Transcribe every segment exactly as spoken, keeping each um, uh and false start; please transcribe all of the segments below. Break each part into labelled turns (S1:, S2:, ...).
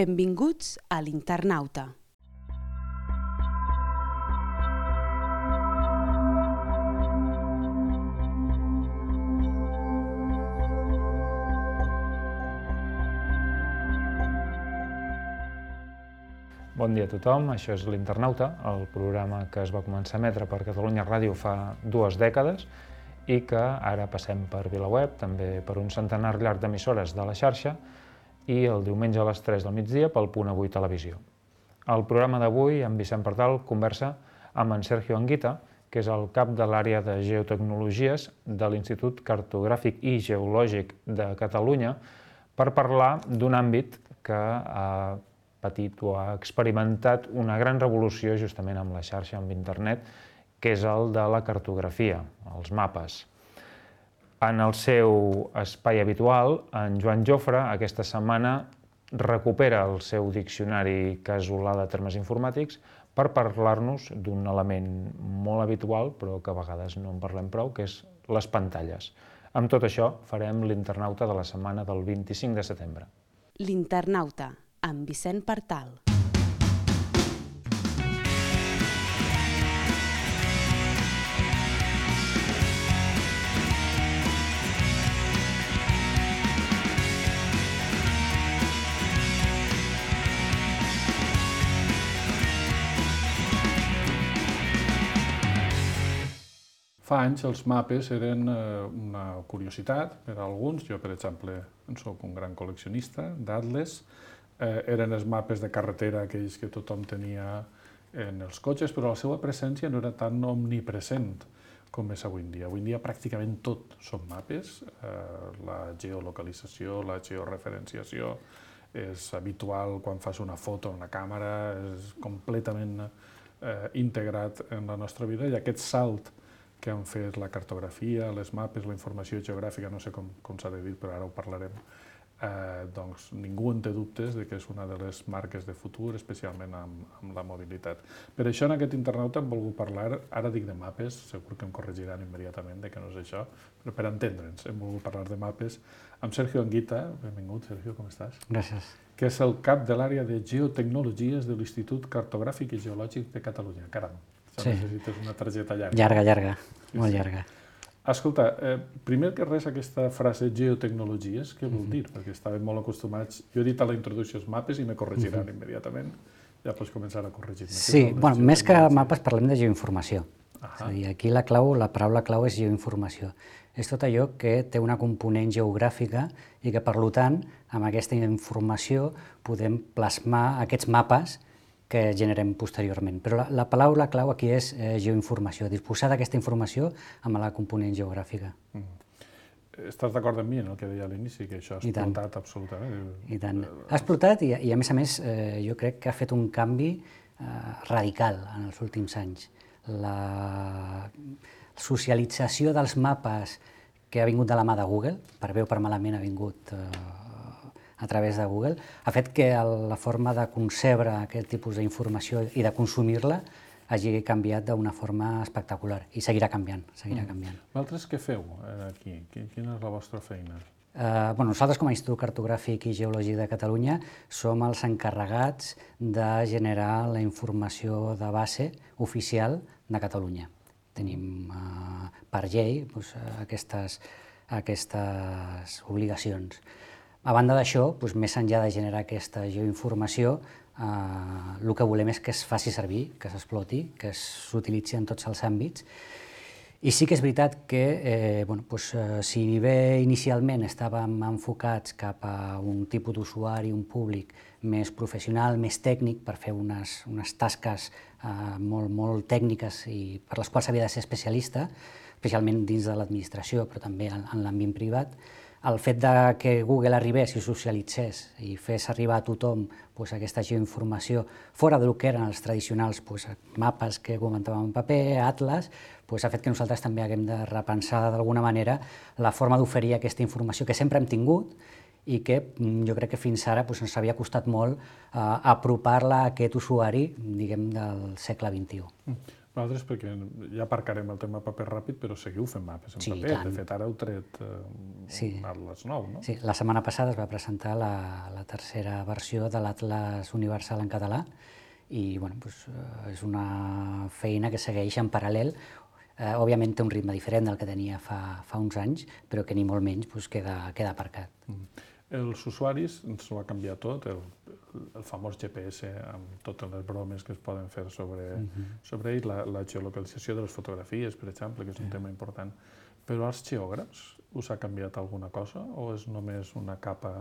S1: Benvinguts a l'Internauta.
S2: Bon dia a tothom, això és l'Internauta, el programa que es va començar a emetre per Catalunya Ràdio fa dues dècades i que ara passem per VilaWeb, també per un centenar llarg d'emissores de la xarxa i el diumenge a les tres del migdia pel Punt Avui Televisió. El programa d'avui, en Vicent Partal, conversa amb en Sergio Anguita, que és el cap de l'àrea de Geotecnologies de l'Institut Cartogràfic i Geològic de Catalunya, per parlar d'un àmbit que ha patit o ha experimentat una gran revolució justament amb la xarxa, amb internet, que és el de la cartografia, els mapes. En el seu espai habitual, en Joan Jofre, aquesta setmana, recupera el seu diccionari casolà de termes informàtics per parlar-nos d'un element molt habitual, però que a vegades no en parlem prou, que és les pantalles. Amb tot això, farem l'Internauta de la setmana del vint-i-cinc de setembre.
S1: L'Internauta, amb Vicent Partal.
S3: Fa anys els mapes eren una curiositat per a alguns. Jo, per exemple, soc un gran col·leccionista d'atles. Eren els mapes de carretera, aquells que tothom tenia en els cotxes, però la seva presència no era tan omnipresent com és avui en dia. Avui en dia pràcticament tot són mapes. La geolocalització, la georreferenciació és habitual quan fas una foto amb una càmera, és completament integrat en la nostra vida i aquest salt que han fet la cartografia, les mapes, la informació geogràfica, no sé com, com s'ha de dir, però ara ho parlarem, eh, doncs ningú en té dubtes de que és una de les marques de futur, especialment amb, amb la mobilitat. Per això en aquest internauta hem volgut parlar, ara dic de mapes, segur que em corregiran immediatament de que no és això, però per entendre'ns hem volgut parlar de mapes amb Sergio Anguita. Benvingut, Sergio, com estàs?
S4: Gràcies.
S3: Que és el cap de l'àrea de Geotecnologies de l'Institut Cartogràfic i Geològic de Catalunya. Caram!
S4: Sí.
S3: Necessites una targeta llarga.
S4: Llarga, llarga, molt llarga.
S3: Escolta, eh, primer que res aquesta frase geotecnologies, què vol dir? Perquè estàvem molt acostumats, jo he dit a la introducció els mapes i me corregiran immediatament, ja pots començar a corregir-me.
S4: Sí, bueno, més que mapes parlem de geoinformació. És a dir, aquí la clau, la paraula clau és geoinformació. És tot allò que té una component geogràfica i que, per tant, amb aquesta informació podem plasmar aquests mapes que generem posteriorment. Però la, la paraula clau aquí és eh, geoinformació, disposar d'aquesta informació amb la component geogràfica.
S3: Mm. Estàs d'acord amb mi, no?, que deia a l'inici, que això ha explotat absolutament.
S4: I tant. Ha explotat i, i a més a més, eh, jo crec que ha fet un canvi eh, radical en els últims anys. La socialització dels mapes que ha vingut de la mà de Google, per bé o per malament ha vingut eh, a través de Google, ha fet que la forma de concebre aquest tipus d'informació i de consumir-la hagi canviat d'una forma espectacular i seguirà canviant, seguirà canviant.
S3: Vosaltres què feu aquí? Quina és la vostra feina?
S4: Eh, bueno, nosaltres, com a Institut Cartogràfic i Geològic de Catalunya, som els encarregats de generar la informació de base oficial de Catalunya. Tenim, eh, per llei, doncs, aquestes, aquestes obligacions. A banda d'això, doncs, més enllà de generar aquesta geoinformació, eh, el que volem és que es faci servir, que s'exploti, que s'utilitzi en tots els àmbits. I sí que és veritat que eh, bueno, doncs, eh, si bé inicialment estàvem enfocats cap a un tipus d'usuari, un públic més professional, més tècnic, per fer unes, unes tasques eh, molt, molt tècniques i per les quals s'havia de ser especialista, especialment dins de l'administració, però també en, en l'àmbit privat, el fet de que Google arribés i socialitzés i fes arribar a tothom doncs, aquesta geoinformació fora del que eren els tradicionals doncs, mapes que comentàvem en paper, atles, doncs, ha fet que nosaltres també haguem de repensar d'alguna manera la forma d'oferir aquesta informació que sempre hem tingut i que jo crec que fins ara doncs, ens havia costat molt eh, apropar-la a aquest usuari, diguem, del segle vint-i-u.
S3: Nosaltres, perquè ja aparcarem el tema paper ràpid, però seguiu fent mapes en
S4: Sí,
S3: paper.
S4: tant.
S3: De fet, ara heu tret eh,
S4: Sí.
S3: un Atlas nou, no?
S4: Sí, la setmana passada es va presentar la, la tercera versió de l'Atlas Universal en català i bueno, doncs, eh, és una feina que segueix en paral·lel. Eh, òbviament té un ritme diferent del que tenia fa, fa uns anys, però que ni molt menys doncs, queda, queda aparcat.
S3: Mm. Els usuaris ens ho ha canviat tot, el, el famós G P S amb totes les bromes que es poden fer sobre, uh-huh. sobre ell, la, la geolocalització de les fotografies, per exemple, que és un uh-huh. tema important. Però als geògrafs us ha canviat alguna cosa o és només una capa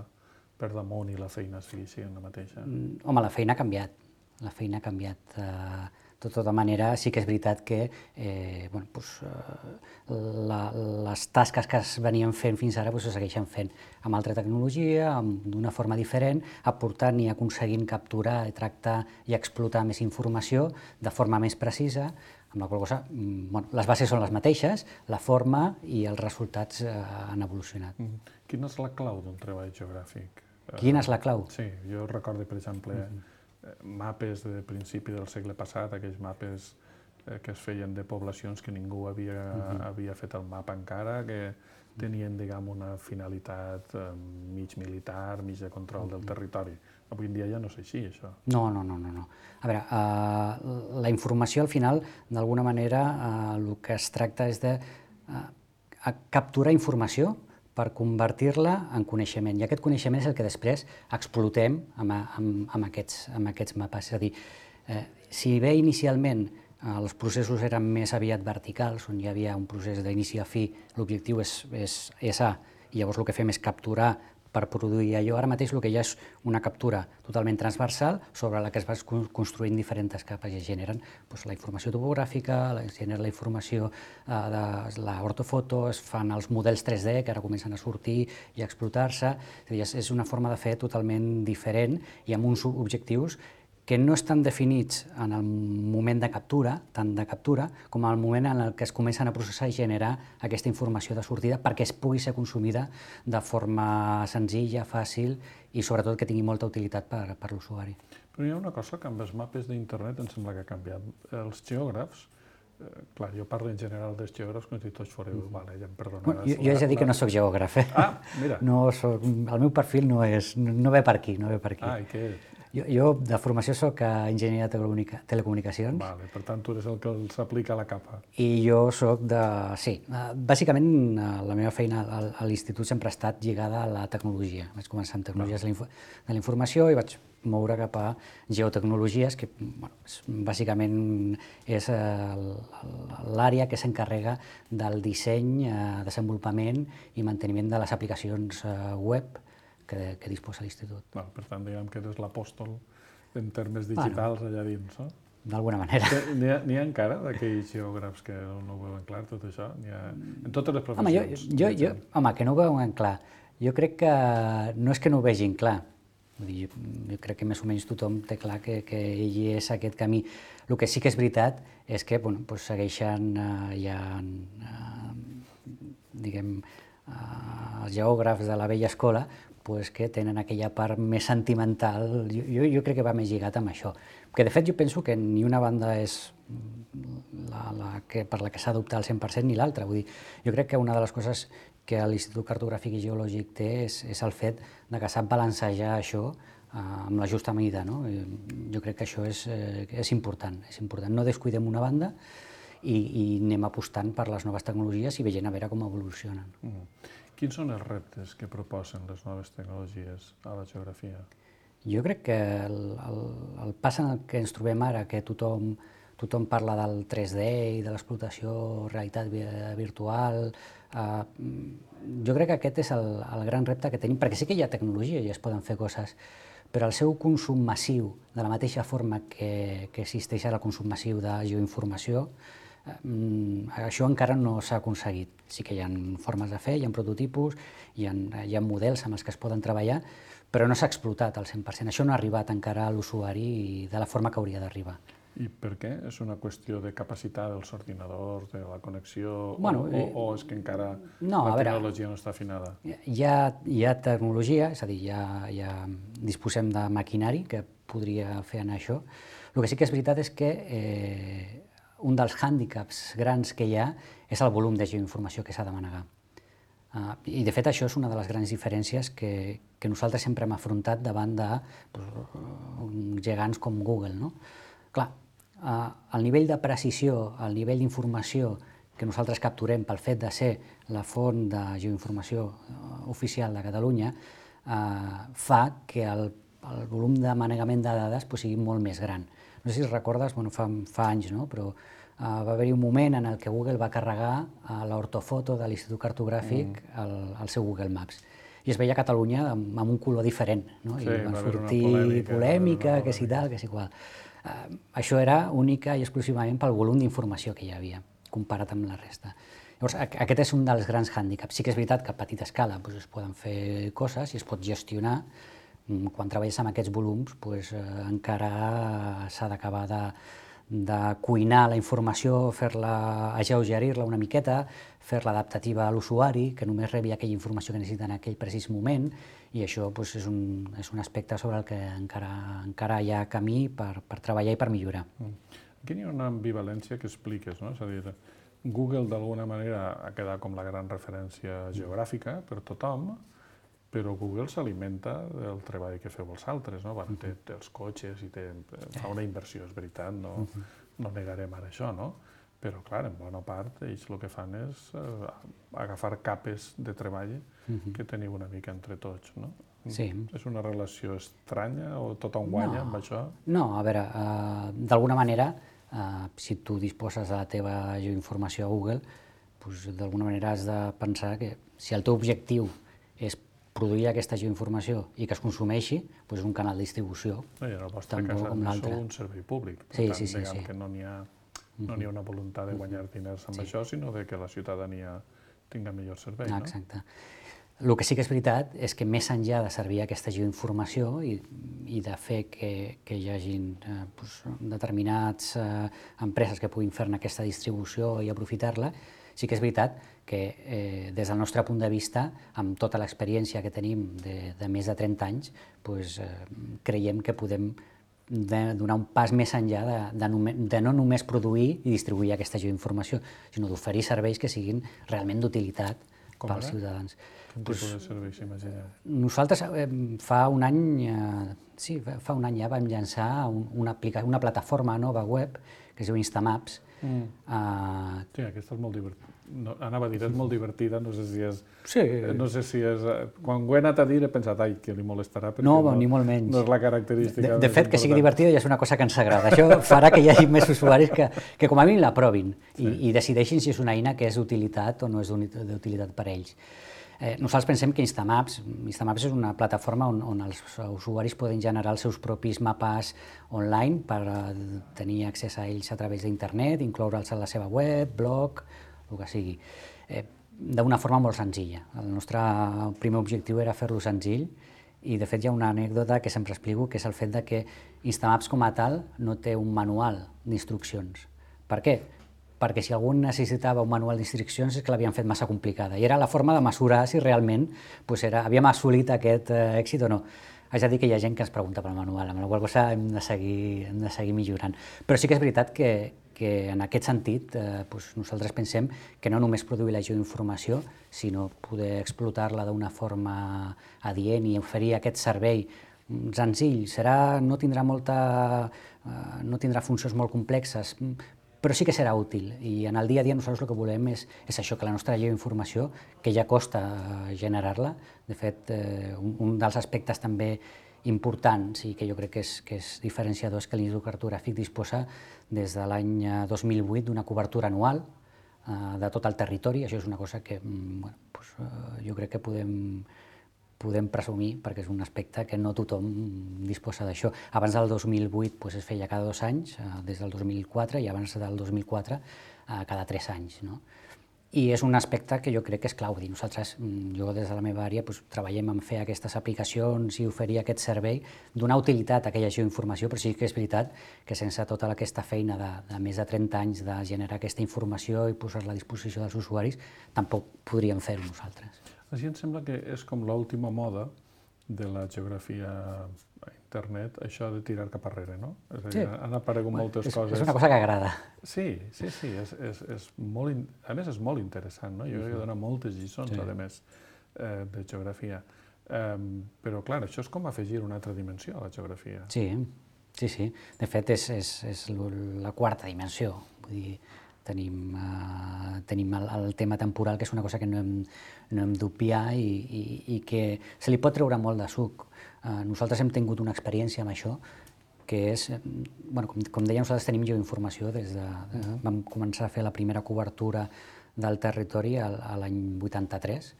S3: per damunt i la feina segueix sent la mateixa?
S4: Mm, home, la feina ha canviat. La feina ha canviat. Eh, de tota manera, sí que és veritat que eh, bueno, doncs, eh, la, les tasques que es venien fent fins ara doncs, se segueixen fent amb altra tecnologia, d'una forma diferent, aportant i aconseguint capturar, tractar i explotar més informació de forma més precisa, amb la qual cosa, bueno, les bases són les mateixes, la forma i els resultats eh, han evolucionat.
S3: Mm. Quina és la clau d'un treball geogràfic?
S4: Quina és la clau?
S3: Sí, jo recordo, per exemple, mm-hmm. mapes de principi del segle passat, aquells mapes eh, que es feien de poblacions que ningú havia, mm-hmm. havia fet el mapa encara, que tenien, diguem, una finalitat eh, mig militar, mig de control mm-hmm. del territori. Avui en dia ja no és així, això.
S4: No, no, no, no. no. A veure, uh, la informació, al final, d'alguna manera, uh, el que es tracta és de uh, capturar informació per convertir-la en coneixement. I aquest coneixement és el que després explotem amb, amb, amb, aquests, amb aquests mapes. És a dir, eh, si bé inicialment eh, els processos eren més aviat verticals, on hi havia un procés d'inici a fi, l'objectiu és, és, és A, i llavors el que fem és capturar per produir allò. Ara mateix el que hi ha és una captura totalment transversal sobre la que es va construint diferents capes i es generen doncs, la informació topogràfica, es genera la informació eh, de l'ortofoto, es fan els models tres D que ara comencen a sortir i a explotar-se. És, és una forma de fer totalment diferent i amb uns objectius que no estan definits en el moment de captura, tant de captura, com en el moment en el que es comencen a processar i generar aquesta informació de sortida perquè es pugui ser consumida de forma senzilla, fàcil i sobretot que tingui molta utilitat per, per l'usuari.
S3: Però hi ha una cosa que amb els mapes d'internet em sembla que ha canviat. Els geògrafs, eh, clar, jo parlo en general dels geògrafs com si tots foreu, mm. vale, ja em perdonaràs.
S4: Bueno, jo, jo he de dir que no soc geògraf, eh?
S3: Ah, mira.
S4: No soc, el meu perfil no, és, no ve per aquí, no ve per aquí.
S3: Ah, i què és?
S4: Jo, jo de formació soc enginyer de telecomunicacions.
S3: Vale, per tant, tu eres el que s'aplica a la capa.
S4: I jo soc de... Sí, bàsicament la meva feina a l'institut sempre ha estat lligada a la tecnologia. Vaig començar amb tecnologies de la informació i vaig moure cap a geotecnologies, que bueno, bàsicament és l'àrea que s'encarrega del disseny, desenvolupament i manteniment de les aplicacions web que, que disposa l'institut.
S3: Bueno, per tant, diguem que eres l'apòstol en termes digitals bueno, allà dins, no?
S4: D'alguna manera.
S3: N'hi ha, ha encara d'aquells geògrafs que no ho veuen clar, tot això? Ha, en totes les professions?
S4: Home, jo, jo, jo, home, que no ho veuen clar. Jo crec que no és que no ho vegin clar. Vull dir, jo, jo crec que més o menys tothom té clar que, que ell és aquest camí. El que sí que és veritat és que bueno, doncs segueixen, eh, hi ha, eh, diguem, eh, els geògrafs de la vella escola pues, que tenen aquella part més sentimental, jo, jo, jo crec que va més lligat amb això. Que de fet jo penso que ni una banda és la, la que, per la que s'ha d'optar al cent per cent ni l'altra. Vull dir, jo crec que una de les coses que l'Institut Cartogràfic i Geològic té és, és el fet de que sap balancejar això eh, amb la justa mida. No? Jo crec que això és, eh, és important, és important. No descuidem una banda i, i anem apostant per les noves tecnologies i veient a veure com evolucionen.
S3: Mm. Quins són els reptes que proposen les noves tecnologies a la geografia?
S4: Jo crec que el, el, el pas en el que ens trobem ara, que tothom, tothom parla del tres D i de l'explotació realitat virtual, eh, jo crec que aquest és el, el gran repte que tenim, perquè sí que hi ha tecnologia i es poden fer coses, però el seu consum massiu, de la mateixa forma que, que existeix ara el consum massiu de geoinformació, això encara no s'ha aconseguit. Sí que hi ha formes de fer, hi ha prototipus, hi ha, hi ha models amb els que es poden treballar, però no s'ha explotat al cent per cent. Això no ha arribat encara a l'usuari de la forma que hauria d'arribar.
S3: I per què? És una qüestió de capacitat dels ordinadors, de la connexió,
S4: bueno,
S3: o, o, o és que encara
S4: no,
S3: la
S4: veure,
S3: tecnologia no està afinada?
S4: Hi ha, hi ha tecnologia, és a dir, ja, ja disposem de maquinari que podria fer anar això. El que sí que és veritat és que eh, un dels hàndicaps grans que hi ha és el volum de geoinformació que s'ha de manegar. Uh, I, de fet, això és una de les grans diferències que, que nosaltres sempre hem afrontat davant de pues, gegants com Google. No? Clar, uh, el nivell de precisió, el nivell d'informació que nosaltres capturem pel fet de ser la font de geoinformació uh, oficial de Catalunya uh, fa que el, el volum de manegament de dades pues, sigui molt més gran. No sé si recordes, bueno, fa, fa anys, no? Però Uh, va haver-hi un moment en el que Google va carregar uh, l'ortofoto de l'Institut Cartogràfic mm. al, al seu Google Maps. I es veia Catalunya amb, amb un color diferent, no?
S3: Sí,
S4: I va
S3: va
S4: sortir
S3: polèmica,
S4: polèmica, que si tal, que si qual. Uh, això era única i exclusivament pel volum d'informació que hi havia, comparat amb la resta. Llavors, aquest és un dels grans hàndicaps. Sí que és veritat que a petita escala doncs, es poden fer coses i es pot gestionar. Quan treballes amb aquests volums, doncs, eh, encara s'ha d'acabar de de cuinar la informació, fer-la, alleugerir-la una miqueta, fer-la adaptativa a l'usuari, que només rebi aquella informació que necessita en aquell precís moment, i això doncs, és, un, és un aspecte sobre el que encara, encara hi ha camí per, per treballar i per millorar.
S3: Aquí hi ha una ambivalència que expliques, no? És a dir, Google d'alguna manera ha quedat com la gran referència geogràfica per tothom, però Google s'alimenta del treball que feu els altres, no? Bueno, té, té els cotxes i té, fa una inversió, és veritat, no, no negarem ara això, no? Però, clar, en bona part, ells el que fan és eh, agafar capes de treball que teniu una mica entre tots, no?
S4: Sí.
S3: És una relació estranya o tothom guanya amb això?
S4: No, a veure, uh, d'alguna manera, uh, si tu disposes de la teva geoinformació a Google, pues, d'alguna manera has de pensar que si el teu objectiu és produir aquesta geoinformació i que es consumeixi, doncs és un canal de distribució.
S3: No, I en el vostre cas, sou un servei públic. Per
S4: sí,
S3: tant,
S4: sí, sí,
S3: diguem
S4: sí.
S3: que no n'hi ha, no n'hi ha una voluntat de guanyar diners amb sí. això, sinó de que la ciutadania tinga millor servei.
S4: Exacte. No? El que sí que és veritat és que més enllà de servir aquesta geoinformació i, i de fer que, que hi hagin eh, doncs, determinats eh, empreses que puguin fer-ne aquesta distribució i aprofitar-la, sí que és veritat que eh, des del nostre punt de vista, amb tota l'experiència que tenim de, de més de trenta anys, doncs, eh, creiem que podem de donar un pas més enllà de, de, nome, de no només produir i distribuir aquesta geoinformació, sinó d'oferir serveis que siguin realment d'utilitat pels ciutadans.
S3: Quin tipus de serveis s'imagineu?
S4: Nosaltres eh, fa un any, eh, sí, fa un any ja vam llançar un, una, aplica, una plataforma nova web que es diu Instamaps.
S3: Mm. Uh, sí, aquesta és molt divertida. No, anava a dir, és molt divertida, no sé si és...
S4: Sí.
S3: No sé si és... Quan ho he anat a dir he pensat, ai, que li molestarà, perquè
S4: no,
S3: no,
S4: ni molt menys.
S3: No és la característica.
S4: De, de fet, que sigui divertida ja és una cosa que ens agrada. Això farà que hi hagi més usuaris que, que com a mínim la provin i, sí. i decideixin si és una eina que és d'utilitat o no és d'utilitat per a ells. Eh, nosaltres pensem que Instamaps, Instamaps és una plataforma on, on els usuaris poden generar els seus propis mapes online per uh, tenir accés a ells a través d'internet, incloure'ls a la seva web, blog, el que sigui, eh, d'una forma molt senzilla. El nostre primer objectiu era fer-lo senzill i, de fet, hi ha una anècdota que sempre explico, que és el fet de que Instamaps com a tal no té un manual d'instruccions. Per què? Perquè si algú necessitava un manual d'instruccions és que l'havien fet massa complicada i era la forma de mesurar si realment pues, era, havíem assolit aquest eh, èxit o no. Haig de dir que hi ha gent que ens pregunta pel manual, amb la qual cosa hem de seguir, hem de seguir millorant. Però sí que és veritat que, que en aquest sentit eh, pues, nosaltres pensem que no només produir la geoinformació, sinó poder explotar-la d'una forma adient i oferir aquest servei senzill. Serà, no tindrà molta, eh, no tindrà funcions molt complexes, però sí que serà útil i en el dia a dia nosaltres el que volem és, és això, que la nostra geoinformació, que ja costa generar-la, de fet, eh, un, un dels aspectes també importants i que jo crec que és, que és diferenciador és que l'Institut Cartogràfic disposa des de l'any dos mil vuit d'una cobertura anual eh, de tot el territori. Això és una cosa que bueno, doncs, eh, jo crec que podem podem presumir, perquè és un aspecte que no tothom disposa d'això. Abans del dos mil vuit doncs, es feia cada dos anys, des del dos mil quatre, i abans del dos mil quatre cada tres anys. No? I és un aspecte que jo crec que és clau. Nosaltres, jo des de la meva àrea, doncs, treballem en fer aquestes aplicacions i oferir aquest servei, donar utilitat a aquella geoinformació, però sí que és veritat que sense tota aquesta feina de, de més de trenta anys de generar aquesta informació i posar-la a disposició dels usuaris, tampoc podríem fer-ho nosaltres.
S3: Així em sembla que és com l'última moda de la geografia internet això de tirar cap arrere, no? És a dir, han aparegut moltes
S4: és,
S3: coses...
S4: És una cosa que agrada.
S3: Sí, sí, sí, és, és, és molt, in... a més és molt interessant, no? Jo he donat moltes lliçons, a més, eh, de geografia. Um, però, clar, això és com afegir una altra dimensió a la geografia.
S4: Sí, sí, sí. De fet, és, és, és la quarta dimensió. Vull dir, tenim, uh, tenim el, el tema temporal, que és una cosa que no hem, no hem d'obviar i, i, i que se li pot treure molt de suc. Uh, nosaltres hem tingut una experiència amb això, que és, bueno, com, com deia, nosaltres tenim geoinformació des de... de vam començar a fer la primera cobertura del territori a, a l'any vuitanta-tres,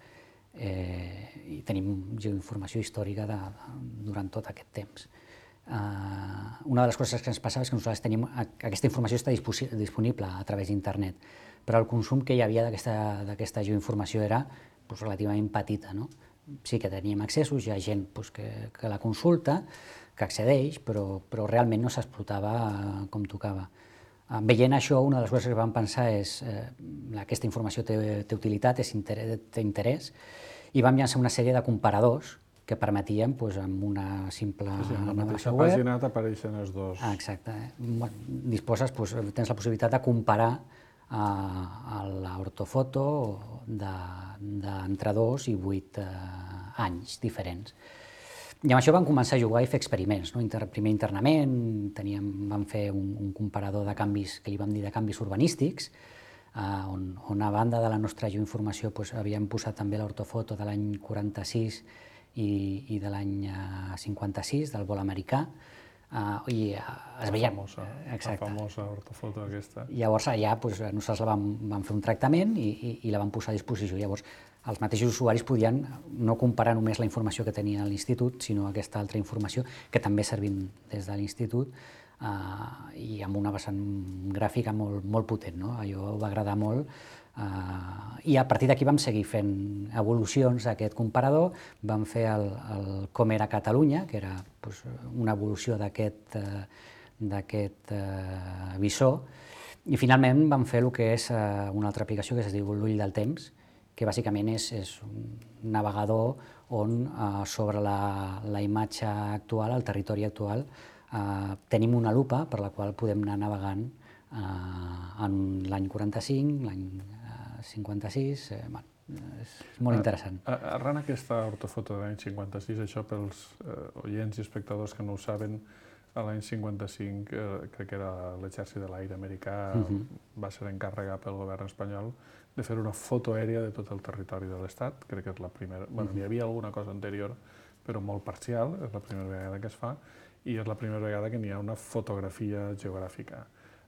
S4: eh, i tenim geoinformació històrica de, de, durant tot aquest temps. Uh, una de les coses que ens passava és que nosaltres tenim, aquesta informació està disponible a través d'internet, però el consum que hi havia d'aquesta geoinformació era pues, relativament petita, no? Sí que teníem accessos, hi ha gent pues, que, que la consulta, que accedeix, però, però realment no s'explotava uh, com tocava. Uh, veient això, una de les coses que vam pensar és eh, aquesta informació té, té utilitat, és interès, té interès, i vam llançar una sèrie de comparadors que permetien, doncs, amb una simple
S3: sí, sí, en la mateixa
S4: web,
S3: pàgina t'apareixen els dos.
S4: Ah, exacte. Disposes, doncs, tens la possibilitat de comparar uh, l'ortofoto d'entre dos i vuit uh, anys diferents. I amb això vam començar a jugar i fer experiments. No? Inter, primer internament, teníem, vam fer un, un comparador de canvis, que li vam dir de canvis urbanístics, uh, on, on a banda de la nostra geoinformació doncs, havíem posat també l'ortofoto de l'any quaranta-sis i, i de l'any cinquanta-sis, del vol americà, uh, i uh, es veia...
S3: La famosa,
S4: exacte.
S3: la famosa ortofoto aquesta.
S4: Llavors allà doncs, nosaltres la vam, vam fer un tractament i, i, i la vam posar a disposició. Llavors els mateixos usuaris podien no comparar només la informació que tenia a l'institut, sinó aquesta altra informació que també servim des de l'institut, uh, i amb una vessant gràfica molt, molt potent. No? Allò va agradar molt. Uh, I a partir d'aquí vam seguir fent evolucions d'aquest comparador, vam fer el, el Com era Catalunya, que era pues, una evolució d'aquest uh, d'aquest uh, visor, i finalment vam fer el que és uh, una altra aplicació que es diu l'Ull del Temps, que bàsicament és, és un navegador on uh, sobre la, la imatge actual, el territori actual, uh, tenim una lupa per la qual podem anar navegant uh, en l'any quaranta-cinc, l'any cinquanta-sis, eh, bueno, és molt interessant.
S3: Arran aquesta ortofoto de l'any cinquanta-sis, això pels eh, oients i espectadors que no ho saben, a l'any cinquanta-cinc, eh, crec que era l'exèrcit de l'aire americà, uh-huh. va ser encarregat pel govern espanyol de fer una foto aèria de tot el territori de l'Estat. Crec que és la primera... Uh-huh. Bueno, hi havia alguna cosa anterior, però molt parcial, és la primera vegada que es fa, i és la primera vegada que n'hi ha una fotografia geogràfica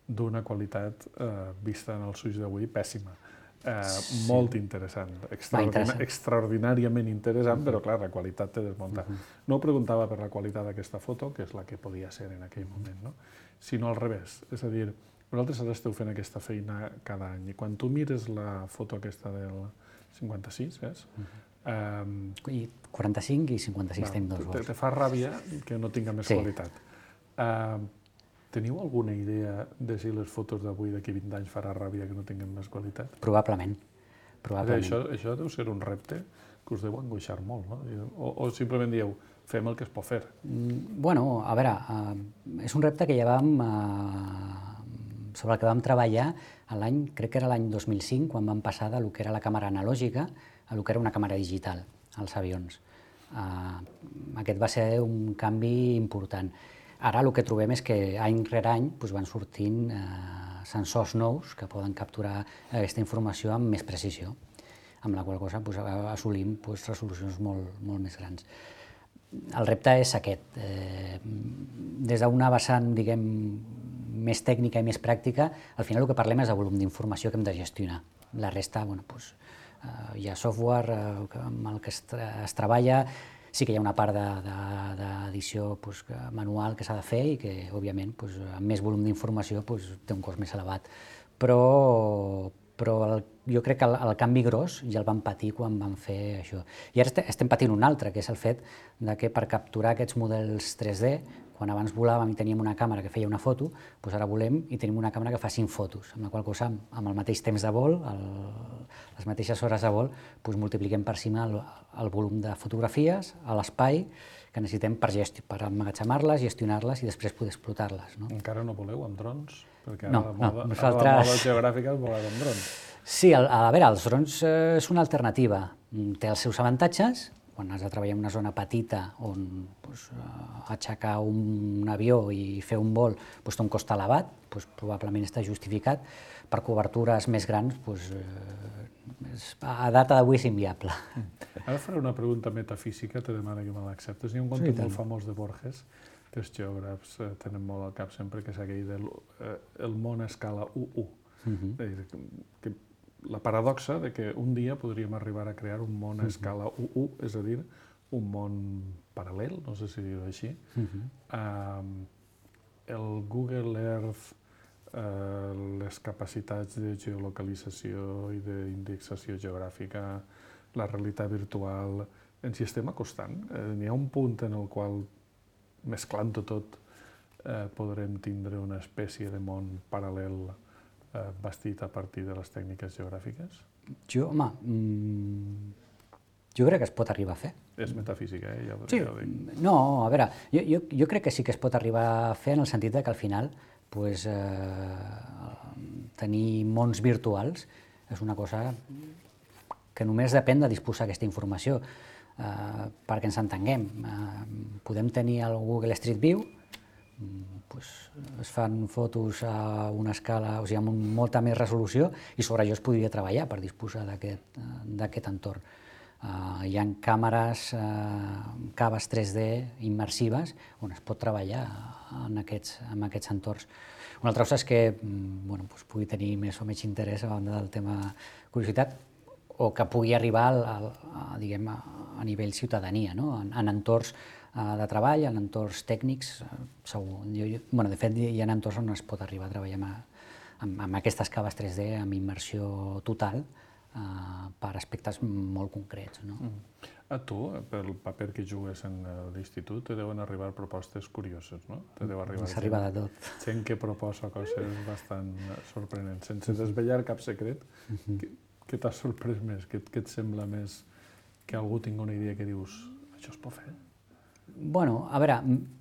S3: d'una qualitat eh, vista en els ulls d'avui pèssima. Eh, sí. Molt interessant, Extraordina interessant, extraordinàriament interessant, uh-huh. però clar, la qualitat té desmuntat. Uh-huh. No ho preguntava per la qualitat d'aquesta foto, que és la que podia ser en aquell moment, no? Sinó al revés, és a dir, vosaltres ara esteu fent aquesta feina cada any, i quan tu mires la foto aquesta del cinquanta-sis, és?
S4: Uh-huh. um, I quaranta-cinc i cinquanta-sis tenim dos vols.
S3: Te, te fa ràbia que no tinga més sí. qualitat. Uh, Teniu alguna idea de si les fotos d'avui d'aquí vint anys farà ràbia que no tinguin més qualitat?
S4: Probablement. Probablement.
S3: Això, això deu ser un repte que us deu angoixar molt, no? O, o simplement dieu, fem el que es pot fer?
S4: Mm, bueno, a veure, uh, és un repte que ja vam, uh, sobre el que vam treballar l'any, crec que era l'any dos mil cinc, quan vam passar de lo que era la càmera analògica a lo que era una càmera digital als avions. Uh, aquest va ser un canvi important. Ara el que trobem és que any rere any doncs, van sortint eh, sensors nous que poden capturar aquesta informació amb més precisió, amb la qual cosa doncs, assolim doncs, resolucions molt, molt més grans. El repte és aquest. Eh, des d'una vessant, diguem, més tècnica i més pràctica, al final el que parlem és de volum d'informació que hem de gestionar. La resta, bueno, doncs, eh, hi ha software eh, amb el que es, es treballa. Sí que hi ha una part d'edició pues, manual que s'ha de fer i que, òbviament, pues, amb més volum d'informació pues, té un cost més elevat. Però, però el, jo crec que el, el canvi gros ja el vam patir quan vam fer això. I ara estem patint un altre, que és el fet de que per capturar aquests models tres D, Quan abans volàvem i teníem una càmera que feia una foto, doncs ara volem i tenim una càmera que fa cinc fotos, amb la qual cosa, amb el mateix temps de vol, el, les mateixes hores de vol, doncs multipliquem per cima el, el volum de fotografies a l'espai que necessitem per, per emmagatzemar-les, gestionar-les i després poder explotar-les. No?
S3: Encara no voleu amb drons? Perquè
S4: no,
S3: ara la moda,
S4: no, nosaltres...
S3: la moda geogràfica és volar amb drons.
S4: Sí, a, a veure, els drons eh, és una alternativa. Té els seus avantatges. Quan has de treballar en una zona petita on doncs, aixecar un, un avió i fer un vol doncs, té un cost elevat, doncs, probablement està justificat. Per cobertures més grans, doncs, eh, és, a data d'avui és inviable.
S3: Ara faré una pregunta metafísica, te demano que me l'acceptes. Hi ha un conte sí, molt famós de Borges, que els geògrafs eh, tenen molt al cap sempre, que és aquell del eh, el món a escala u u. Uh-huh. És dir, que, que la paradoxa de que un dia podríem arribar a crear un món a escala u u, és a dir, un món paral·lel, no sé si dir-ho així. Uh-huh. um, el Google Earth, uh, les capacitats de geolocalització i d'indexació geogràfica, la realitat virtual, ens hi estem acostant. Eh, N'hi ha un punt en el qual, mesclant-ho tot, eh, podrem tindre una espècie de món paral·lel eh, bastit a partir de les tècniques geogràfiques?
S4: Jo, home, mmm, jo crec que es pot arribar a fer.
S3: És metafísica, eh? Ja,
S4: sí,
S3: ja ho dic.
S4: No, a veure, jo, jo, jo crec que sí que es pot arribar a fer en el sentit de que al final pues, eh, tenir mons virtuals és una cosa que només depèn de disposar aquesta informació. Uh, perquè ens entenguem. Uh, podem tenir el Google Street View, um, pues, es fan fotos a una escala, o sigui, amb un, molta més resolució, i sobre allò es podria treballar per disposar d'aquest uh, entorn. Uh, hi ha càmeres, uh, caves tres D immersives on es pot treballar en aquests, en aquests entorns. Una altra cosa és que um, bueno, pues, pugui tenir més o menys interès a banda del tema curiositat, o que pugui arribar al, al, a, diguem, a, a nivell ciutadania, no? en, en entorns uh, de treball, en entorns tècnics, uh, segur. Jo, jo, bueno, de fet, hi ha entorns on es pot arribar a treballar amb, amb, amb aquestes caves tres D, amb immersió total, uh, per aspectes molt concrets. No?
S3: Mm. A tu, pel paper que jugues en l'institut, te deuen arribar propostes curioses, no? Te deu arribar
S4: S'arriba de tot.
S3: Gent que proposa coses bastant sorprenents, sense desvetllar cap secret. Mm-hmm. que, Què t'ha sorprès més? Què, què et sembla més que algú tingui una idea que dius això es pot fer?
S4: Bueno, a veure,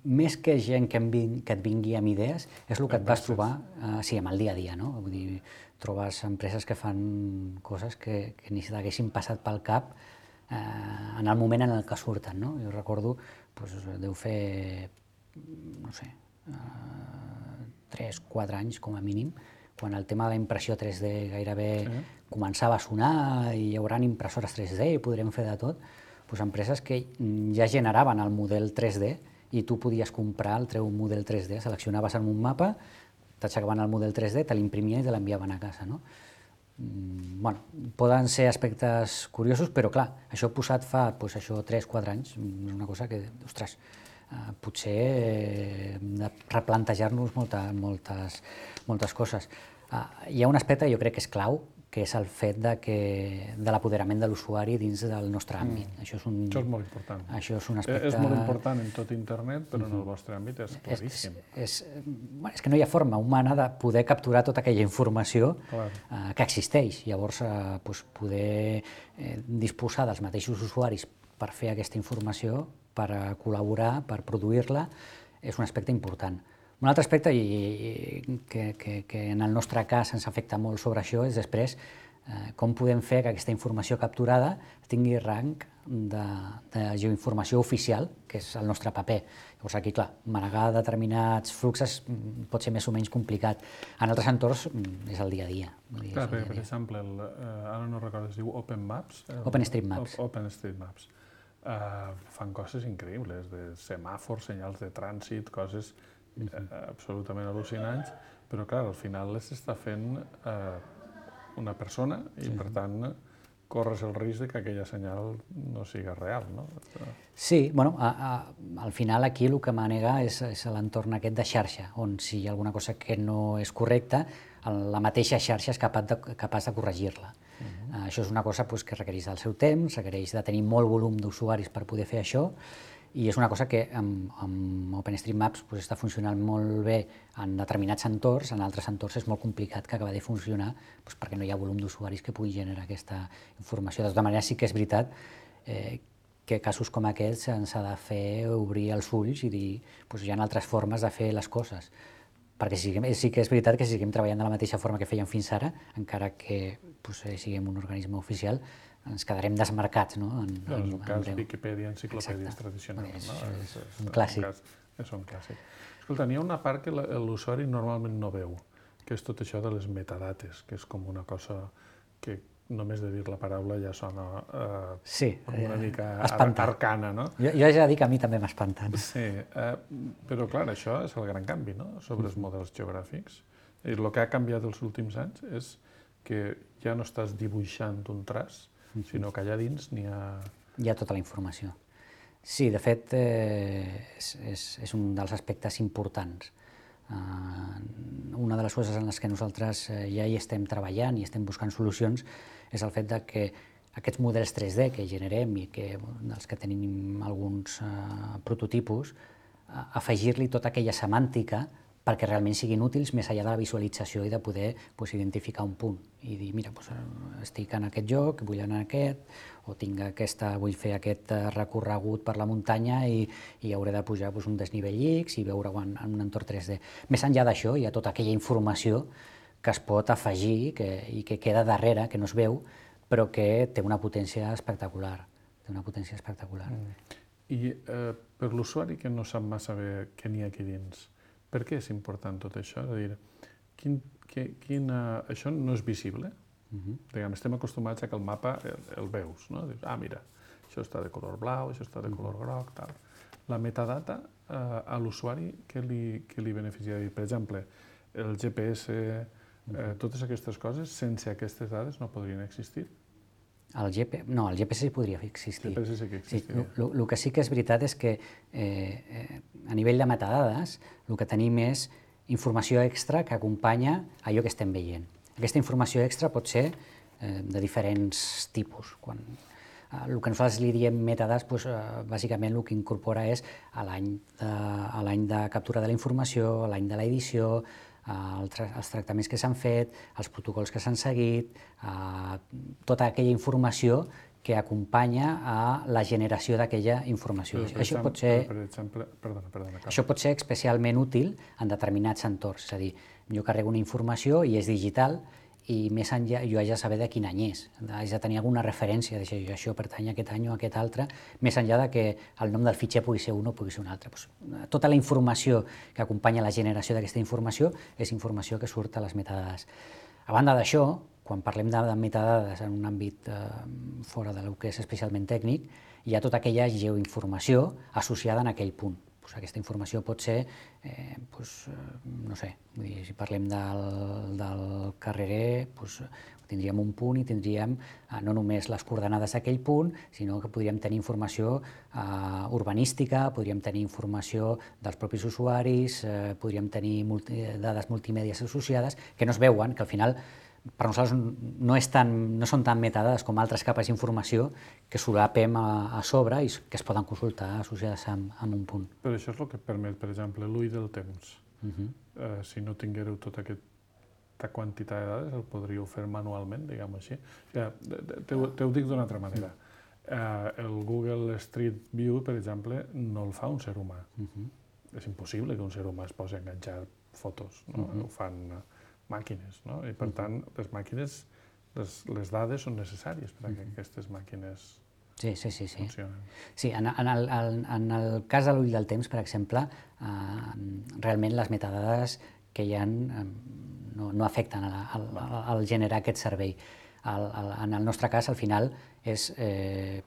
S4: més que gent que, ving, que et vingui amb idees, és el que et vas trobar uh, sí, amb el dia a dia, no? Vull dir, trobes empreses que fan coses que, que ni se t'haguessin passat pel cap eh, en el moment en el que surten, no? Jo recordo, doncs, deu fer, no sé, uh, tres, quatre anys com a mínim, quan el tema de la impressió tres D gairebé sí. començava a sonar i hi haurà impressores tres D i podrem fer de tot, doncs empreses que ja generaven el model tres D i tu podies comprar el teu model tres D, seleccionaves en un mapa, t'aixecaven el model tres D, te l'imprimien i te l'enviaven a casa. No? Bueno, poden ser aspectes curiosos, però clar, això posat fa doncs, això tres quatre anys, és una cosa que, ostres, Uh, potser eh, hem de replantejar-nos molta, moltes, moltes coses. Uh, hi ha un aspecte que jo crec que és clau, que és el fet de, que, de l'apoderament de l'usuari dins del nostre àmbit. Mm. Això, és un,
S3: això és molt important.
S4: Això és un aspecte...
S3: És molt important en tot internet, però mm-hmm. en el vostre àmbit és claríssim.
S4: És, és, bueno, és que no hi ha forma humana de poder capturar tota aquella informació uh, que existeix. Llavors, uh, doncs, poder eh, disposar dels mateixos usuaris per fer aquesta informació, per col·laborar, per produir-la, és un aspecte important. Un altre aspecte i, que, que, que en el nostre cas ens afecta molt sobre això és després eh, com podem fer que aquesta informació capturada tingui rang de, de geoinformació oficial, que és el nostre paper. Llavors aquí, clar, manegar determinats fluxes pot ser més o menys complicat. En altres entorns és el dia a dia.
S3: Clar, per, per exemple, el, uh, ara no recordo, es diu Open Maps?
S4: OpenStreetMaps.
S3: OpenStreetMaps. Uh, fan coses increïbles, de semàfors, senyals de trànsit, coses uh, absolutament al·lucinants, però clar, al final les està fent uh, una persona i sí. per tant corres el risc de que aquella senyal no siga real, no?
S4: Sí, bueno, a, a, al final aquí el que manega és, és l'entorn aquest de xarxa, on si hi ha alguna cosa que no és correcta, la mateixa xarxa és capaç de, capaç de corregir-la. Uh-huh. uh, això és una cosa pues, que requereix del seu temps, requereix de tenir molt volum d'usuaris per poder fer això, i és una cosa que amb, amb OpenStreetMaps pues, està funcionant molt bé en determinats entorns, en altres entorns és molt complicat que acabi de funcionar pues, perquè no hi ha volum d'usuaris que pugui generar aquesta informació. De tota manera, sí que és veritat eh, que casos com aquests ens ha de fer obrir els ulls i dir pues, hi ha altres formes de fer les coses. Perquè sí, sí que és veritat que si seguim treballant de la mateixa forma que fèiem fins ara, encara que pues, siguem un organisme oficial, ens quedarem desmarcats, no? En,
S3: no, és un
S4: en,
S3: cas
S4: en
S3: Viquipèdia, enciclopèdies
S4: Exacte.
S3: tradicionals.
S4: És,
S3: No?
S4: és,
S3: és,
S4: un clàssic.
S3: És un, cas, és un clàssic. Escolta, n'hi ha una part que l'usuari normalment no veu, que és tot això de les metadates, que és com una cosa que només de dir la paraula ja sona eh,
S4: sí,
S3: una
S4: eh,
S3: mica
S4: espantar.
S3: arcana, no?
S4: Jo, jo ja dic que a mi també m'espanten.
S3: Sí, eh, però clar, això és el gran canvi, no?, sobre els models geogràfics. I el que ha canviat els últims anys és que ja no estàs dibuixant un traç, sinó que allà dins n'hi ha...
S4: Hi ha tota la informació. Sí, de fet, eh, és, és, és un dels aspectes importants. Uh, una de les coses en les que nosaltres eh, ja hi estem treballant i estem buscant solucions és el fet de que aquests models tres D que generem i que, dels que tenim alguns uh, prototipus, uh, afegir-li tota aquella semàntica perquè realment siguin útils més enllà de la visualització i de poder pues, identificar un punt i dir, mira, pues, estic en aquest lloc, vull anar a aquest, o tinc aquesta, vull fer aquest recorregut per la muntanya i, i hauré de pujar pues, un desnivell X i veure-ho en, en un entorn tres D. Més enllà d'això, hi ha tota aquella informació que es pot afegir que, i que queda darrere, que no es veu, però que té una potència espectacular. Té una potència espectacular.
S3: Mm. I eh, per l'usuari que no sap massa bé què n'hi ha aquí dins, per què és important tot això? És a dir, quin, que, quina, això no és visible? Uh-huh. Diguem, estem acostumats a que el mapa el, el veus, no? Dius, ah, mira, això està de color blau, això està de color groc, tal. La metadata eh, a l'usuari, què li, què li beneficia? Per exemple, el G P S, eh, totes aquestes coses, sense aquestes dades no podrien existir?
S4: El G P... No, el G P S podria existir.
S3: El G P S sí que existiria.
S4: Sí, el que sí que és veritat és que eh, eh, a nivell de metadades el que tenim és informació extra que acompanya allò que estem veient. Aquesta informació extra pot ser eh, de diferents tipus. Quan, eh, el que nosaltres li diem metadades, doncs, eh, bàsicament el que incorpora és a l'any de, a l'any de captura de la informació, a l'any de l'edició, els tractaments que s'han fet, els protocols que s'han seguit, tota aquella informació que acompanya a la generació d'aquella informació.
S3: Per
S4: això,
S3: exemple,
S4: pot ser,
S3: per exemple, perdona, perdona,
S4: això pot ser especialment útil en determinats entorns. És a dir, jo carrego una informació i és digital i més enllà jo haig de saber de quin any és, haig de tenir alguna referència, de dir, això pertany a aquest any o a aquest altre, més enllà de que el nom del fitxer pugui ser un o pugui ser un altre. Pues, tota la informació que acompanya la generació d'aquesta informació és informació que surt a les metadades. A banda d'això, quan parlem de, de metadades en un àmbit eh, fora del que és especialment tècnic, hi ha tota aquella geoinformació associada en aquell punt. Pues aquesta informació pot ser, eh, pues, no sé, vull dir, si parlem del, del carrerer, pues, tindríem un punt i tindríem eh, no només les coordenades d'aquell punt, sinó que podríem tenir informació eh, urbanística, podríem tenir informació dels propis usuaris, eh, podríem tenir multi, dades multimèdies associades que no es veuen, que al final per nosaltres no, és tan, no són tan metadades com altres capes d'informació que solapem a, a sobre i que es poden consultar associades amb, amb un punt.
S3: Però això és el que permet, per exemple, l'ull del temps.
S4: Uh-huh.
S3: eh, si no tinguéreu tota aquesta quantitat de dades, el podríeu fer manualment, diguem-ho així. O sigui, te, te ho dic d'una altra manera. Eh, el Google Street View, per exemple, no el fa un ser humà. Uh-huh. És impossible que un ser humà es posi a enganxar fotos, no? Uh-huh. Ho fan màquines, no? I per tant, les màquines, les, les dades són necessàries perquè uh-huh. aquestes màquines
S4: sí, sí, sí, sí.
S3: funcionen.
S4: Sí, en, en, el, en el cas de l'ull del temps, per exemple, eh, realment les metadades que hi ha eh, no, no afecten al, al, al generar aquest servei. El, el, en el nostre cas, al final, és eh,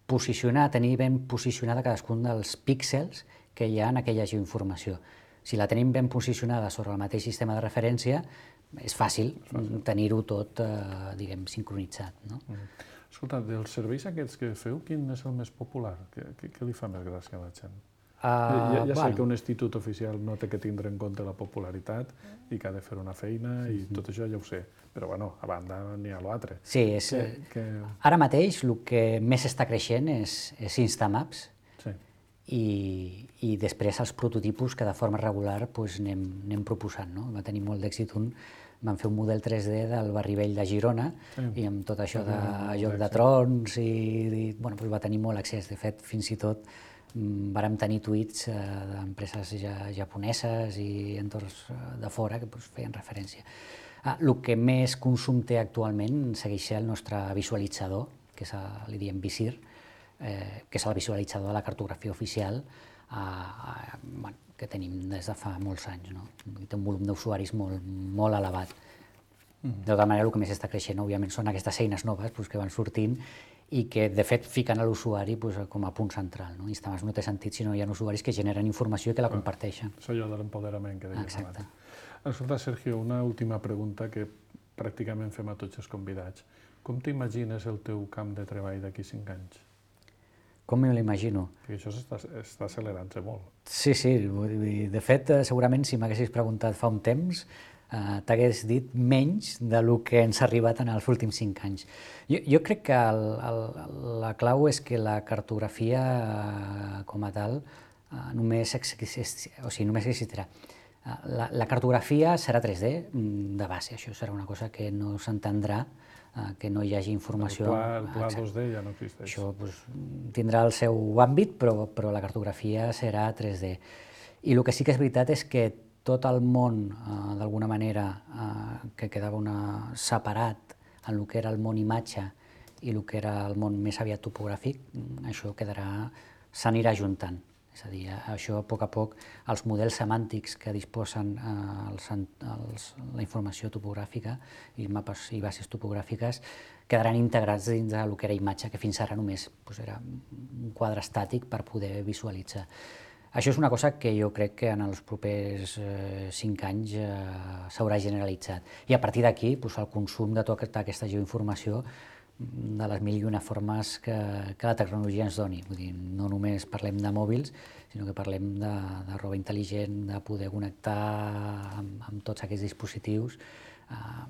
S4: posicionar, tenir ben posicionada cadascun dels píxels que hi ha en aquella geoinformació. Si la tenim ben posicionada sobre el mateix sistema de referència, és fàcil, fàcil. tenir-ho tot, eh, diguem, sincronitzat. No?
S3: Mm. Escolta, dels serveis aquests que feu, quin és el més popular? Què, què, què li fa més gràcia a la gent? Uh, ja ja bueno. sé que un institut oficial no té que tindre en compte la popularitat i que ha de fer una feina i mm-hmm. tot això ja ho sé, però bueno, a banda n'hi ha l'altre.
S4: Sí, és, que, que... ara mateix el que més està creixent és, és Instamaps, sí. i, i després els prototipus que de forma regular doncs, anem, anem proposant. No? Va tenir molt d'èxit un, vam fer un model tres D del Barri Vell de Girona sí. i amb tot això de Joc de Trons i, i bueno, doncs va tenir molt accés. De fet, fins i tot vàrem tenir tuits eh, d'empreses ja, japoneses i entorns de fora que doncs, feien referència. Ah, el que més consum té actualment segueix ser el nostre visualitzador, que és el, li diem Visir, eh, que és el visualitzador de la cartografia oficial eh, eh, bueno, que tenim des de fa molts anys. No? Té un volum d'usuaris molt, molt elevat. Mm-hmm. De tota manera, el que més està creixent, òbviament, són aquestes eines noves doncs, que van sortint i que, de fet, fiquen a l'usuari doncs, com a punt central. No? Instagram no té sentit si no hi ha usuaris que generen informació i que la comparteixen.
S3: És allò de l'empoderament que dèiem
S4: Exacte.
S3: abans. Escolta, Sergio, una última pregunta que pràcticament fem a tots els convidats. Com t'imagines el teu camp de treball d'aquí cinc anys?
S4: Com me l'imagino?
S3: Perquè això està, està accelerant-se molt.
S4: Sí, sí. De fet, segurament, si m'haguessis preguntat fa un temps, eh, t'hagués dit menys del que ens ha arribat en els últims cinc anys. Jo, jo crec que el, el, la clau és que la cartografia, eh, com a tal, eh, només, existi, o sigui, només existirà. La, la cartografia serà tres D de base, això serà una cosa que no s'entendrà, que no hi hagi informació.
S3: El pla, el pla dos D ja no existeix.
S4: Això doncs, tindrà el seu àmbit, però, però la cartografia serà tres D. I el que sí que és veritat és que tot el món, eh, d'alguna manera, eh, que quedava una, separat en el que era el món imatge i el que era el món més aviat topogràfic, això quedarà, s'anirà ajuntant. És a dir, això a poc a poc, els models semàntics que disposen eh, els, els, la informació topogràfica i mapes i bases topogràfiques quedaran integrats dins del que era imatge, que fins ara només doncs, era un quadre estàtic per poder visualitzar. Això és una cosa que jo crec que en els propers eh, cinc anys eh, s'haurà generalitzat. I a partir d'aquí, doncs, el consum de tota aquesta geoinformació de les mil i una formes que, que la tecnologia ens doni. Vull dir, no només parlem de mòbils, sinó que parlem de, de roba intel·ligent, de poder connectar amb, amb tots aquests dispositius. Uh,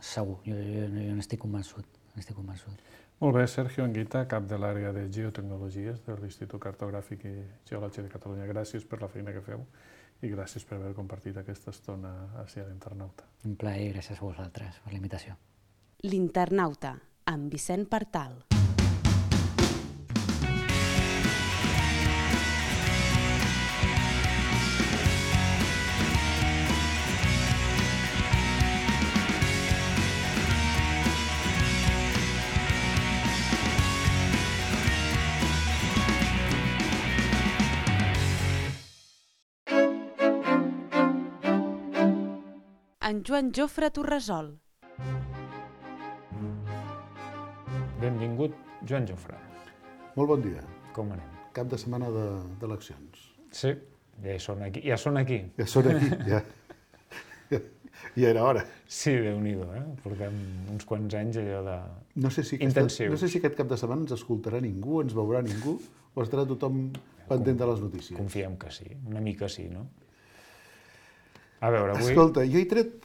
S4: segur, jo, jo, jo n'estic convençut, n'estic convençut.
S3: Molt bé, Sergio Anguita, cap de l'àrea de Geotecnologies de l'Institut Cartogràfic i Geològic de Catalunya. Gràcies per la feina que feu i gràcies per haver compartit aquesta estona així a l'Internauta.
S4: Un plaer, gràcies a vosaltres per la invitació.
S1: L'Internauta, amb Vicent Partal. En Joan Jofre Torresol.
S2: Benvingut, Joan Jofre.
S5: Molt bon dia.
S2: Com anem?
S5: Cap de setmana d'eleccions.
S2: Sí, ja són aquí. Ja són aquí.
S5: Ja són aquí, ja. Ja, ja era hora.
S2: Sí, Déu-n'hi-do, eh? Portem uns quants anys allò de
S5: no sé si
S2: intensius.
S5: Aquesta, no sé si aquest cap de setmana ens escoltarà ningú, ens veurà ningú, o estarà tothom pendent de les notícies.
S2: Confiem que sí, una mica sí, no? A veure, avui...
S5: Escolta, jo he tret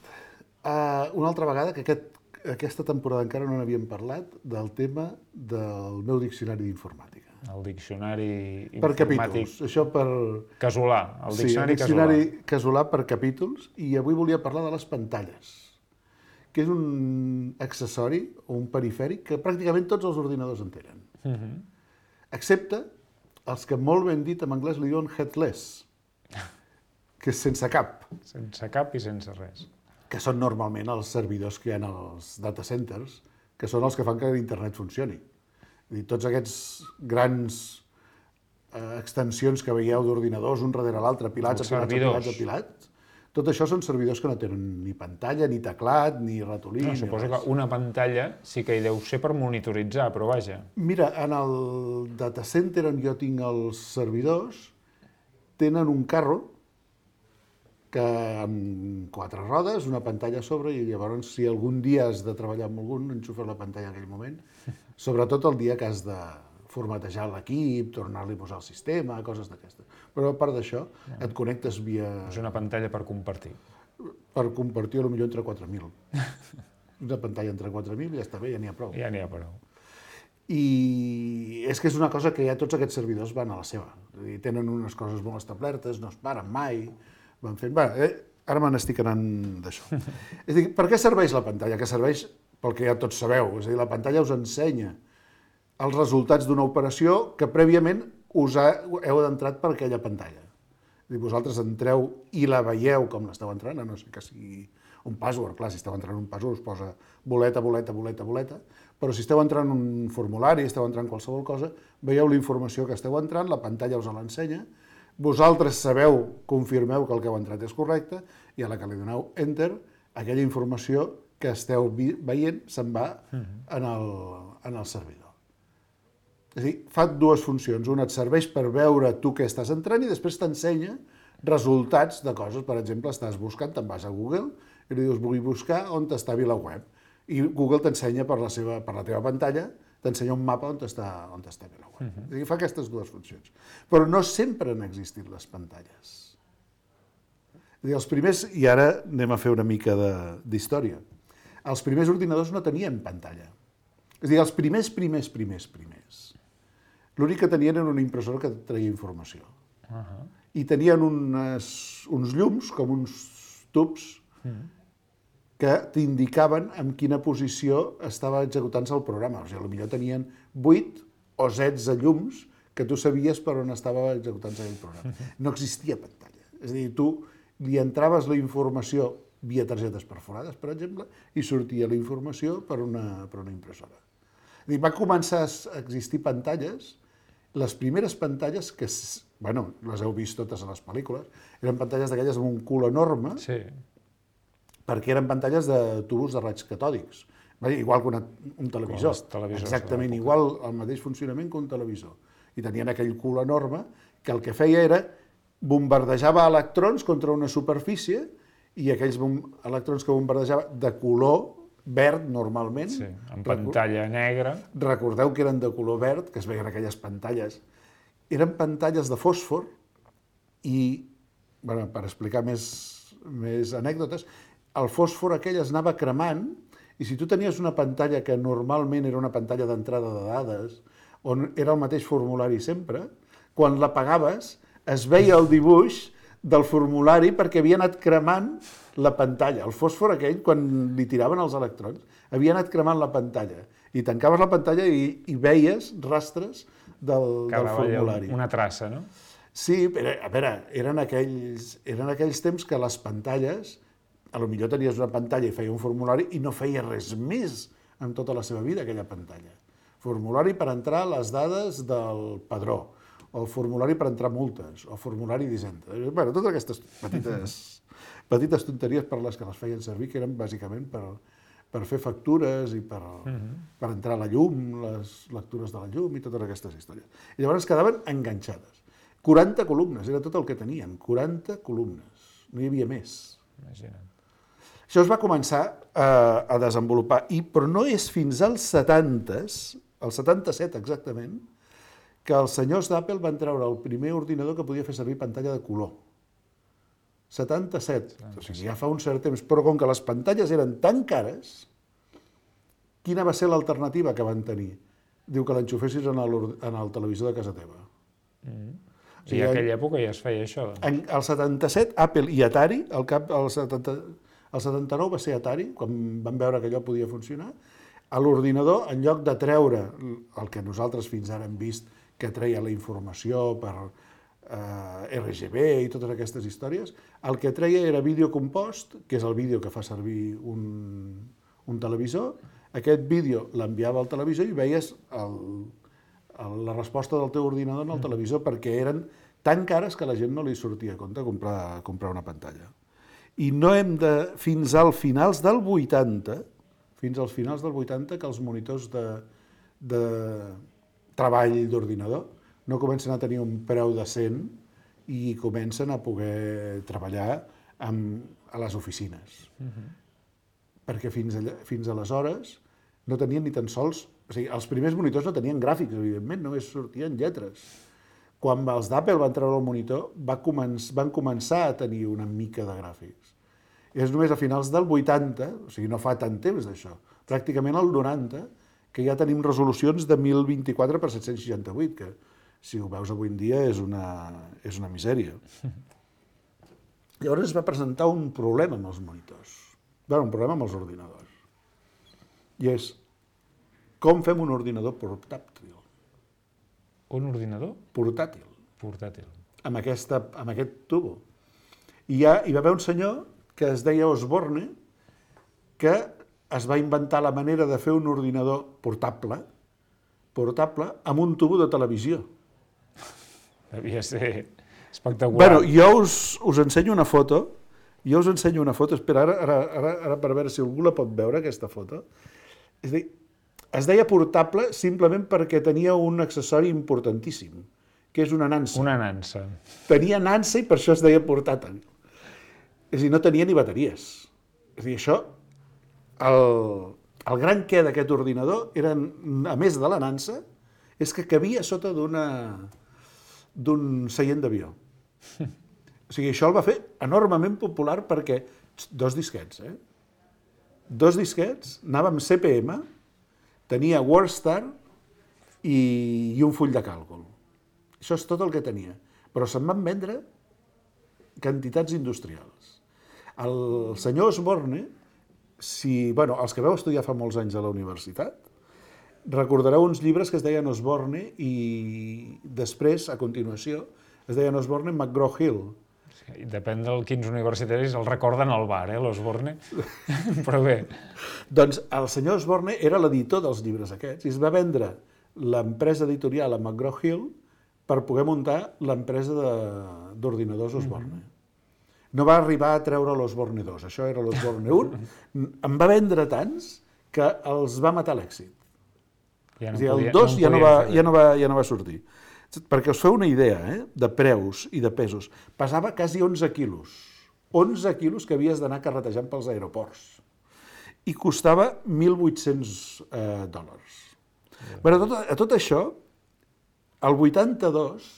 S5: uh, una altra vegada que aquest aquesta temporada encara no n'havíem parlat, del tema del meu diccionari d'informàtica.
S2: El diccionari informàtic...
S5: Per capítols, això per...
S2: Casolà, el diccionari,
S5: sí, el diccionari casolà. casolà per capítols, i avui volia parlar de les pantalles, que és un accessori o un perifèric que pràcticament tots els ordinadors en tenen. Uh-huh. Excepte els que molt ben dit en anglès li diuen headless, que és sense cap.
S2: Sense cap i sense res.
S5: Que són normalment els servidors que hi ha als data centers, que són els que fan que l'internet funcioni. És dir, tots aquests grans eh, extensions que veieu d'ordinadors, un darrere l'altre, pilats, apilats, apilats, apilats, tot això són servidors que no tenen ni pantalla, ni teclat, ni ratolí,
S2: no,
S5: ni
S2: suposo
S5: res.
S2: Que una pantalla sí que hi deu ser per monitoritzar, però vaja.
S5: Mira, en el data center on jo tinc els servidors, tenen un carro que amb quatre rodes, una pantalla a sobre, i llavors si algun dia has de treballar amb algun, enxufes la pantalla en aquell moment, sobretot el dia que has de formatejar l'equip, tornar-li a posar el sistema, coses d'aquestes. Però a part d'això, et connectes via...
S2: És una pantalla per compartir.
S5: Per compartir, potser entre quatre mil. Una pantalla entre quatre mil ja està bé, ja n'hi ha prou.
S2: Ja n'hi ha prou.
S5: I és que és una cosa que ja tots aquests servidors van a la seva. És a dir, tenen unes coses molt establertes, no es paren mai, van fent... Va, eh, ara me n'estic anant d'això. És a dir, per què serveix la pantalla? Que serveix pel que ja tots sabeu. És a dir, la pantalla us ensenya els resultats d'una operació que prèviament us ha, heu d'entrat per aquella pantalla. És a dir, vosaltres entreu i la veieu com l'esteu entrant, a no sé que sigui un password. Clar, si esteu entrant un password us posa boleta, boleta, boleta, boleta, però si esteu entrant un formulari, esteu entrant qualsevol cosa, veieu la informació que esteu entrant, la pantalla us l'ensenya, vosaltres sabeu, confirmeu que el que heu entrat és correcte, i a la que li doneu Enter, aquella informació que esteu veient se'n va en el, en el servidor. És a dir, fa dues funcions. Una et serveix per veure tu què estàs entrant i després t'ensenya resultats de coses. Per exemple, estàs buscant, te'n vas a Google i li dius, vull buscar on està VilaWeb. I Google t'ensenya per la seva, per la teva pantalla, t'ensenya un mapa on està, on està VilaWeb. Uh-huh. És a dir, fa aquestes dues funcions. Però no sempre han existit les pantalles. És a dir, els primers, i ara anem a fer una mica d'història, els primers ordinadors no tenien pantalla. És a dir, els primers, primers, primers, primers. L'únic que tenien era una impressora que treia informació. Uh-huh. I tenien unes, uns llums, com uns tubs, uh-huh, que t'indicaven en quina posició estava executant-se el programa. O sigui, potser tenien vuit o setze llums que tu sabies per on estava executant-se aquell programa. No existia pantalla. És a dir, tu li entraves la informació via targetes perforades, per exemple, i sortia la informació per una, per una impressora. És a dir, va començar a existir pantalles, les primeres pantalles, que bueno, les heu vist totes a les pel·lícules, eren pantalles d'aquelles amb un cul enorme, sí, perquè eren pantalles de tubos de raigs catòdics, igual que una, un televisor, exactament igual, el mateix funcionament que un televisor. I tenien aquell cul enorme que el que feia era bombardejava electrons contra una superfície i aquells electrons que bombardejava de color verd normalment.
S2: Sí, en pantalla negra.
S5: Recordeu que eren de color verd, que es veien aquelles pantalles. Eren pantalles de fòsfor i, bueno, per explicar més, més anècdotes, el fòsfor aquell es anava cremant i si tu tenies una pantalla que normalment era una pantalla d'entrada de dades, on era el mateix formulari sempre, quan l'apagaves es veia el dibuix del formulari perquè havia anat cremant la pantalla. El fòsfor aquell, quan li tiraven els electrons, havia anat cremant la pantalla. I tancaves la pantalla i, i veies rastres del, del formulari.
S2: Una traça, no?
S5: Sí, però, a veure, eren aquells, eren aquells temps que les pantalles, a lo millor tenies una pantalla i feia un formulari i no feia res més en tota la seva vida, aquella pantalla. Formulari per entrar les dades del padró, o formulari per entrar multes, o formulari d'Hisenda. Bueno, totes aquestes petites, petites tonteries per les que les feien servir, que eren bàsicament per, per fer factures i per, uh-huh, per entrar a la llum, les lectures de la llum i totes aquestes històries. I llavors quedaven enganxades. quaranta columnes, era tot el que tenien, quaranta columnes, no hi havia més.
S2: Imagina't.
S5: Això es va començar a, a desenvolupar, i, però no és fins als setantes, al setanta-set exactament, que els senyors d'Apple van treure el primer ordinador que podia fer servir pantalla de color. setanta-set, o sigui, ja fa un cert temps, però com que les pantalles eren tan cares, quina va ser l'alternativa que van tenir? Diu que l'enxufessis en, en el televisor de casa teva.
S2: Mm. O sigui, I en aquella època ja es feia això. Doncs.
S5: En el setanta-set, Apple i Atari, al cap del setanta... El setanta-nou va ser Atari, quan van veure que allò podia funcionar. A l'ordinador, en lloc de treure el que nosaltres fins ara hem vist que treia la informació per eh, R G B i totes aquestes històries, el que treia era vídeo compost, que és el vídeo que fa servir un, un televisor. Aquest vídeo l'enviava al televisor i veies el, el, la resposta del teu ordinador en el televisor, perquè eren tan cares que a la gent no li sortia a compte comprar, comprar una pantalla. I no hem de, fins als finals del vuitanta, fins als finals del vuitanta, que els monitors de, de treball d'ordinador no comencen a tenir un preu decent i comencen a poder treballar amb, a les oficines. Uh-huh. Perquè fins, allà, fins aleshores no tenien ni tan sols... O sigui, els primers monitors no tenien gràfics, evidentment, només sortien lletres. Quan els d'Apple van treure el monitor, va començ, van començar a tenir una mica de gràfics. I és només a finals del vuitanta, o sigui, no fa tant temps d'això, pràcticament al noranta, que ja tenim resolucions de mil vint-i-quatre per set-cents seixanta-vuit, que si ho veus avui en dia és una, és una misèria. Llavors es va presentar un problema amb els monitors, bueno, un problema amb els ordinadors, i és com fem un ordinador portàtil.
S2: Un ordinador?
S5: Portàtil.
S2: Portàtil.
S5: Amb, aquesta, amb aquest tubo. I ja, hi va haver un senyor que es deia Osborne, que es va inventar la manera de fer un ordinador portable, portable amb un tubo de televisió.
S2: Devia ser espectacular.
S5: Bueno, jo us, us ensenyo una foto, jo us ensenyo una foto, espera, ara, ara, ara, ara per veure si algú la pot veure, aquesta foto. És a dir, es deia portable simplement perquè tenia un accessori importantíssim, que és una nansa.
S2: Una nansa.
S5: Tenia nansa i per això es deia portàtil. És a dir, no tenia ni bateries. És a dir, això, el, el gran què d'aquest ordinador, era, a més de la nansa, és que cabia sota d'una d'un seient d'avió. O sigui, això el va fer enormement popular perquè dos disquets, eh? Dos disquets, anava amb C P M, tenia WordStar i, i un full de càlcul. Això és tot el que tenia. Però se'n van vendre quantitats industrials. El senyor Osborne, si, bueno, els que vau estudiar fa molts anys a la universitat, recordareu uns llibres que es deien Osborne i després, a continuació, es deien Osborne McGraw-Hill.
S2: Sí, depèn del quins universitaris el recorden al bar, eh, l'Osborne. Però bé.
S5: Doncs el senyor Osborne era l'editor dels llibres aquests i es va vendre l'empresa editorial a McGraw-Hill per poder muntar l'empresa d'ordinadors Osborne. Mm-hmm. No va arribar a treure l'Osborne dos, això era l'Osborne un. En va vendre tants que els va matar l'èxit.
S2: Ja no
S5: és a dir,
S2: podia,
S5: el dos
S2: no
S5: ja, no va, ja, no va, ja no va sortir. Perquè us feu una idea, eh, de preus i de pesos. Pesava quasi onze quilos. onze quilos que havies d'anar carretejant pels aeroports. I costava mil vuit-cents eh, dòlars. Ja. Però a tot, a tot això, el vuitanta-dos,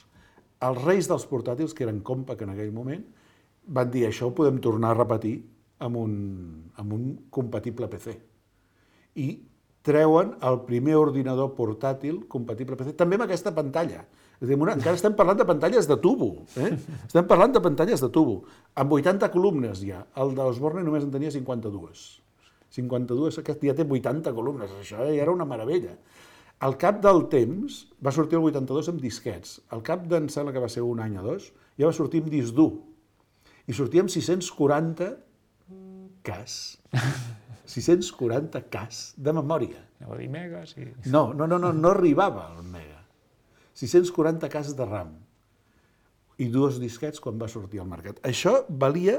S5: els reis dels portàtils, que eren Compaq en aquell moment, van dir això ho podem tornar a repetir amb un, amb un compatible P C. I treuen el primer ordinador portàtil compatible P C, també amb aquesta pantalla. És a dir, encara estem parlant de pantalles de tubo. Eh? Estem parlant de pantalles de tubo. Amb vuitanta columnes ja. El d'Osborne només en tenia cinquanta-dues. cinquanta-dues, aquest ja té vuitanta columnes. Això ja era una meravella. Al cap del temps, va sortir el vuitanta-dos amb disquets. Al cap d'en sembla que va ser un any o dos, ja va sortir amb disc dur. I sortia amb sis-cents quaranta cas. sis-cents quaranta cas de memòria.
S2: Anava a dir mega, sí.
S5: No, no, no, no, no arribava al mega. sis-cents quaranta cas de RAM. I dos disquets quan va sortir al mercat. Això valia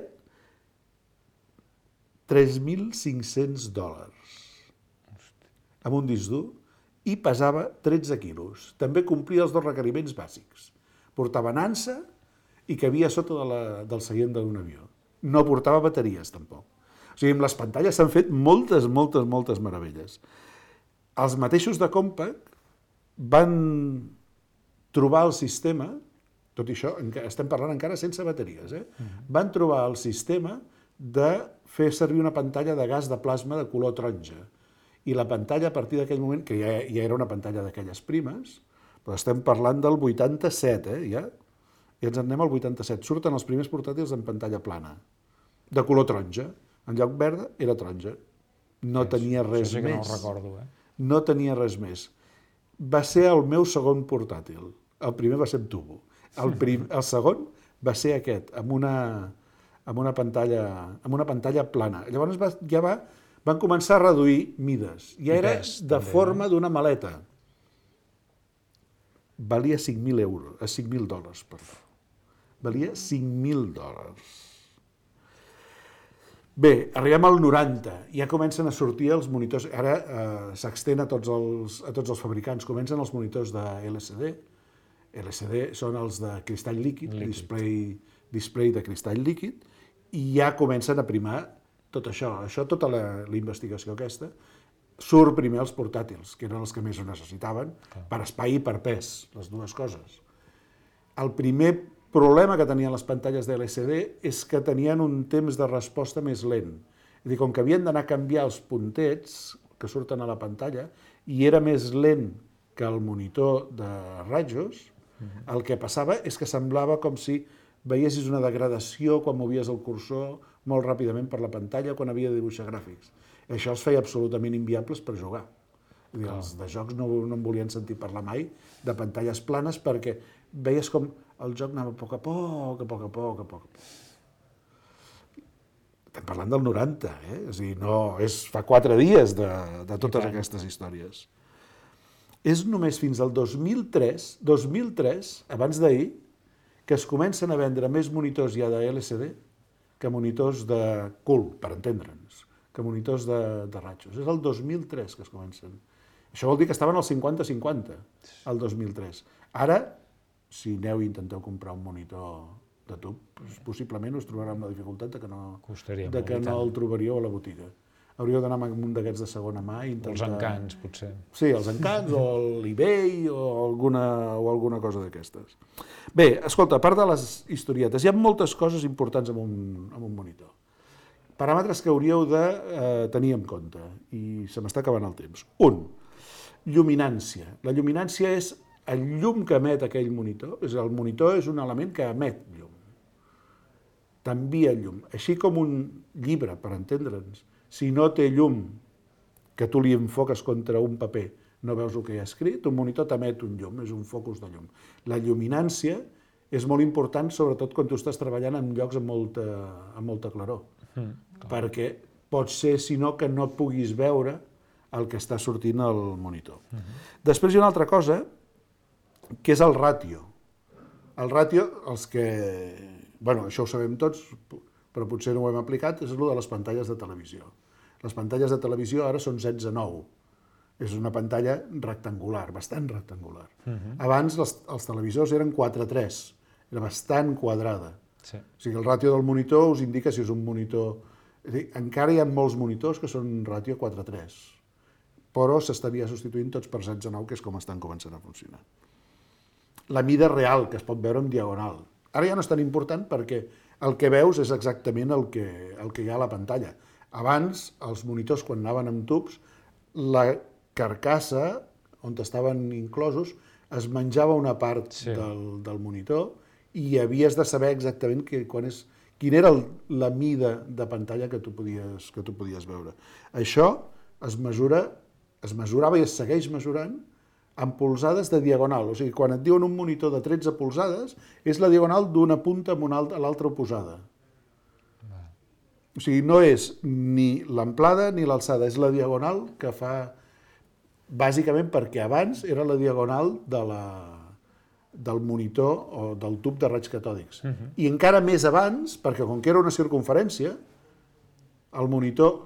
S5: tres mil cinc-cents dòlars. Amb un disc dur. I pesava tretze quilos. També complia els dos requeriments bàsics. Portava nansa i cabia sota de la, del seient d'un avió. No portava bateries, tampoc. O sigui, amb les pantalles s'han fet moltes, moltes, moltes meravelles. Els mateixos de Compaq van trobar el sistema, tot i això, estem parlant encara sense bateries, eh? Van trobar el sistema de fer servir una pantalla de gas de plasma de color taronja. I la pantalla, a partir d'aquell moment, que ja, ja era una pantalla d'aquelles primes, però estem parlant del vuitanta-set, eh, ja? I ens en anem al vuitanta-set. Surten els primers portàtils en pantalla plana, de color taronja. En lloc verda, era taronja. No tenia res més.
S2: Això sí que no ho recordo, eh?
S5: No tenia res més. Va ser el meu segon portàtil. El primer va ser amb tubo. El, prim, el segon va ser aquest, amb una, amb una, pantalla, amb una pantalla plana. Llavors va, ja va... van començar a reduir mides. Ja era de forma d'una maleta. Valia cinc mil euros, cinc mil dòlars, perdó. Valia cinc mil dòlars. Bé, arribem al noranta. Ja comencen a sortir els monitors. Ara eh, s'extén a, tots els, a tots els fabricants. Comencen els monitors de L C D. L C D són els de cristall líquid, líquid. Display, display de cristall líquid, i ja comencen a primar tot això, això, tota la, la investigació aquesta, surt primer els portàtils, que eren els que més ho necessitaven, per espai i per pes, les dues coses. El primer problema que tenien les pantalles de L C D és que tenien un temps de resposta més lent. És a dir, com que havien d'anar a canviar els puntets que surten a la pantalla, i era més lent que el monitor de rajos, el que passava és que semblava com si veiessis una degradació quan movies el cursor molt ràpidament per la pantalla quan havia de dibuixar gràfics. Això els feia absolutament inviables per jugar. Vull dir, els de jocs no, no em volien sentir parlar mai de pantalles planes perquè veies com el joc anava a poc a poc, a poc a poc, a poc a poc. Estem parlant del noranta, eh? És a dir, no, és fa quatre dies de, de totes aquestes històries. És només fins al dos mil tres, dos mil tres, abans d'ahir, que es comencen a vendre més monitors ja de L C D que monitors de cul, per entendre'ns, que monitors de, de rajos. És el dos mil tres que es comencen. Això vol dir que estaven al cinquanta cinquanta, el dos mil tres. Ara, si aneu i intenteu comprar un monitor de tub, possiblement us trobarà amb la dificultat de que no, de que no el trobaríeu a la botiga. Hauríeu d'anar amb un d'aquests de segona mà i intentar...
S2: Els encants, potser.
S5: Sí, els encants, o l'eBay, o alguna, o alguna cosa d'aquestes. Bé, escolta, a part de les historietes, hi ha moltes coses importants amb un, amb un monitor. Paràmetres que hauríeu de eh, tenir en compte, i se m'està acabant el temps. Un, lluminància. La lluminància és el llum que emet aquell monitor. És el monitor és un element que emet llum. T'envia llum. Així com un llibre, per entendre'ns, si no té llum, que tu li enfoques contra un paper, no veus el que hi ha escrit, un monitor t'emet un llum, és un focus de llum. La lluminància és molt important, sobretot quan tu estàs treballant en llocs amb molta, amb molta claror, mm, perquè pot ser, si no, que no puguis veure el que està sortint al monitor. Mm-hmm. Després hi ha una altra cosa, que és el ràtio. El ràtio, els que... Bueno, això ho sabem tots, però potser no ho hem aplicat, és el de les pantalles de televisió. Les pantalles de televisió ara són setze nou. És una pantalla rectangular, bastant rectangular. Uh-huh. Abans els, els televisors eren quatre tres, era bastant quadrada. Sí. O sigui, el ràtio del monitor us indica si és un monitor... És dir, encara hi ha molts monitors que són ràtio quatre tres, però s'estaria substituint tots per setze nou, que és com estan començant a funcionar. La mida real, que es pot veure en diagonal. Ara ja no és tan important perquè el que veus és exactament el que, el que hi ha a la pantalla. Abans, els monitors, quan anaven amb tubs, la carcassa, on estaven inclosos, es menjava una part sí. del, del monitor i havies de saber exactament que, quan és, quina era el, la mida de pantalla que tu podies, que tu podies veure. Això es mesura, es mesurava i es segueix mesurant amb polzades de diagonal. O sigui, quan et diuen un monitor de tretze polzades, és la diagonal d'una punta amb una altra, a l'altra oposada. O sigui, no és ni l'amplada ni l'alçada, és la diagonal que fa, bàsicament perquè abans era la diagonal de la, del monitor o del tub de raigs catòdics. Uh-huh. I encara més abans, perquè com que era una circunferència, el monitor,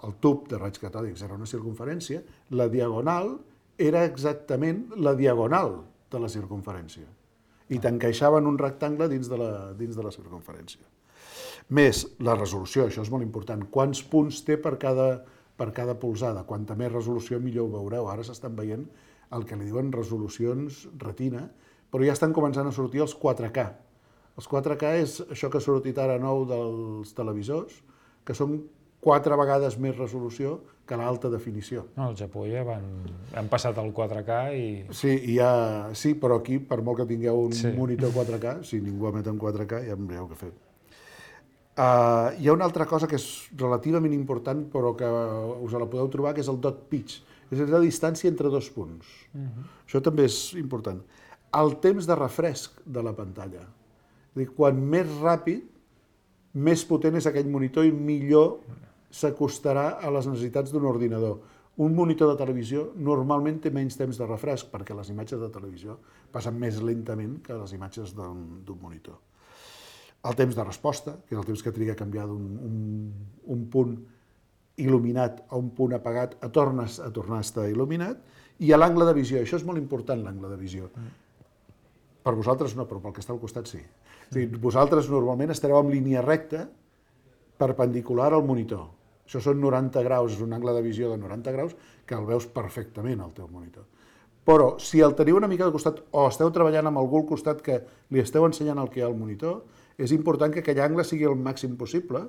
S5: el tub de raigs catòdics era una circunferència, la diagonal era exactament la diagonal de la circunferència. I t'encaixaven un rectangle dins de la, dins de la circunferència. Més, la resolució, això és molt important. Quants punts té per cada, per cada polzada? Quanta més resolució, millor ho veureu. Ara s'estan veient el que li diuen resolucions retina, però ja estan començant a sortir els quatre K. Els quatre K és això que ha sortit ara nou dels televisors, que són quatre vegades més resolució que l'alta definició.
S2: No, al Japó ja van, han passat el quatre K i...
S5: Sí, i ha, sí, però aquí, per molt que tingueu un sí. monitor quatre K, si ningú emet en quatre K, ja em veieu què fer. Uh, hi ha una altra cosa que és relativament important, però que us la podeu trobar, que és el dot pitch. És la distància entre dos punts. Uh-huh. Això també és important. El temps de refresc de la pantalla. És dir, quan més ràpid, més potent és aquell monitor i millor s'acostarà a les necessitats d'un ordinador. Un monitor de televisió normalment té menys temps de refresc perquè les imatges de televisió passen més lentament que les imatges d'un monitor. El temps de resposta, que és el temps que triga a canviar d'un un, un punt il·luminat a un punt apagat, a, tornes, a tornar a estar il·luminat, i a l'angle de visió. Això és molt important, l'angle de visió. Per vosaltres no, però pel que està al costat sí. És a dir, vosaltres normalment estareu en línia recta perpendicular al monitor. Això són noranta graus, és un angle de visió de noranta graus que el veus perfectament al teu monitor. Però si el teniu una mica de costat o esteu treballant amb algú al costat que li esteu ensenyant el que hi ha al monitor, és important que aquell angle sigui el màxim possible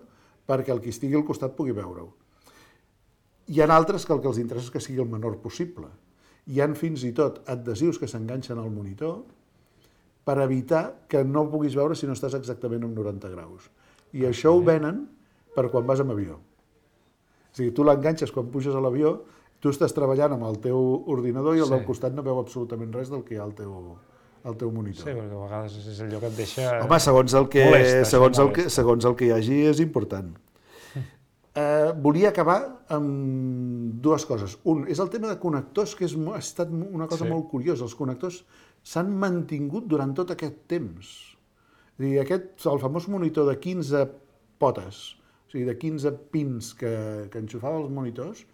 S5: perquè el qui estigui al costat pugui veure-ho. Hi ha altres que el que els interessa és que sigui el menor possible. Hi ha fins i tot adhesius que s'enganxen al monitor per evitar que no ho puguis veure si no estàs exactament en noranta graus. I això ho venen per quan vas amb avió. O sigui, tu l'enganxes quan puges a l'avió, tu estàs treballant amb el teu ordinador i el del costat no veu absolutament res del que hi ha al teu, al teu monitor.
S2: Sí, perquè a vegades és allò que et deixa...
S5: Home, segons el que,
S2: molesta,
S5: segons el que, segons el que hi hagi és important. Eh, volia acabar amb dues coses. Un, és el tema de connectors, que és, ha estat una cosa
S2: Sí.
S5: molt curiosa. Els connectors s'han mantingut durant tot aquest temps. És a dir, aquest, el famós monitor de quinze potes, o sigui, de quinze pins que, que enxufava els monitors,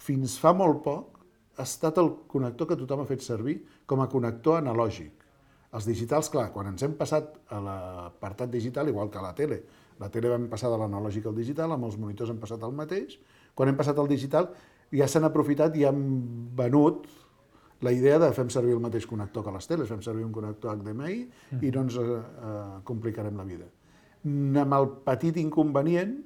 S5: fins fa molt poc ha estat el connector que tothom ha fet servir com a connector analògic. Els digitals, clar, quan ens hem passat a l'apartat digital, igual que a la tele, la tele vam passar de l'analògic al digital, amb els monitors hem passat al mateix, quan hem passat al digital ja s'han aprofitat i han venut la idea de fem servir el mateix connector que les teles, fem servir un connector H D M I i no ens eh, complicarem la vida. Amb el petit inconvenient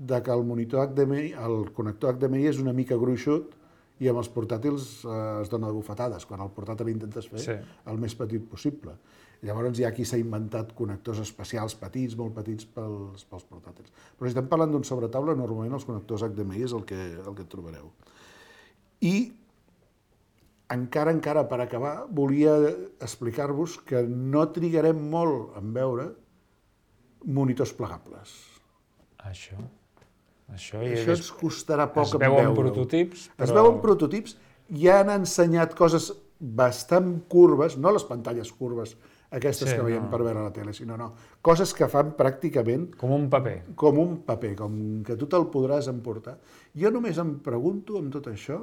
S5: de que el monitor H D M I, el connector H D M I és una mica gruixut i amb els portàtils eh, es dona de bufetades, quan el portàtil intentes fer sí. el més petit possible. Llavors hi ha qui s'ha inventat connectors especials petits, molt petits pels, pels portàtils. Però si estem parlant d'un sobretaula, normalment els connectors H D M I és el que, el que et trobareu. I encara, encara per acabar, volia explicar-vos que no trigarem molt en veure monitors plegables.
S2: Això... Això, i
S5: Això ens costarà poc
S2: es
S5: en veure-ho.
S2: veuen prototips, però...
S5: Es veuen prototips, ja han ensenyat coses bastant curves, no les pantalles curves, aquestes
S2: sí,
S5: que veiem
S2: no.
S5: per veure a la tele, sinó no, coses que fan pràcticament...
S2: Com un paper.
S5: Com un paper, com que tu te'l podràs emportar. Jo només em pregunto amb tot això,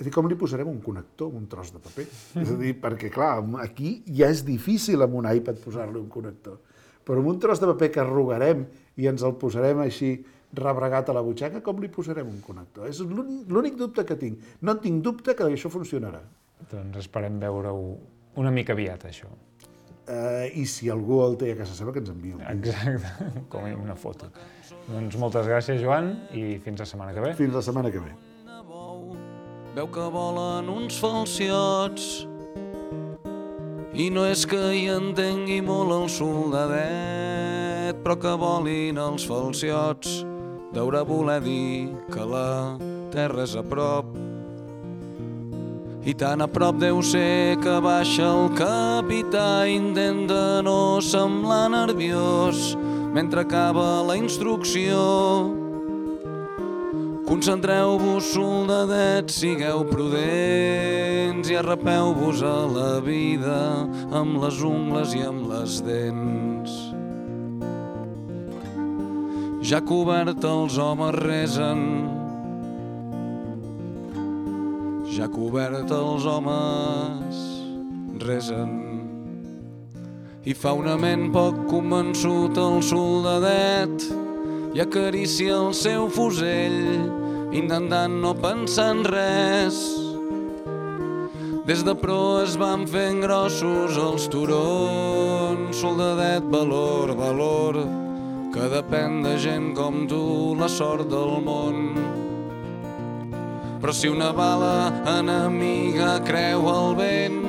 S5: és a dir, com li posarem un connector a un tros de paper? És a dir, perquè clar, aquí ja és difícil amb un iPad posar-li un connector, però amb un tros de paper que arrugarem i ens el posarem així rebregat a la butxaca, com li posarem un connector? És l'únic dubte que tinc. No tinc dubte que això funcionarà.
S2: Doncs esperem veure-ho una mica aviat, això.
S5: Uh, I si algú el té a casa seva, que ens enviï un.
S2: Exacte, com una foto. Doncs moltes gràcies, Joan, i fins la setmana que ve.
S5: Fins la setmana que ve.
S6: Veu que volen uns falciots i no és que hi entengui molt el soldadet, però que volin els falciots deurà voler dir que la terra és a prop. I tan a prop deu ser que baixa el capità, intenta no semblar nerviós mentre acaba la instrucció. Concentreu-vos, soldadets, sigueu prudents i arrapeu-vos a la vida amb les ungles i amb les dents. Ja cobert els homes resen, ja cobert els homes resen. I fa una ment poc convençut el soldadet i acaricia el seu fusell, intentant no pensar en res. Des de proa es van fent grossos els turons, soldadet, valor, valor, que depèn de gent com tu la sort del món. Però si una bala enemiga creu el vent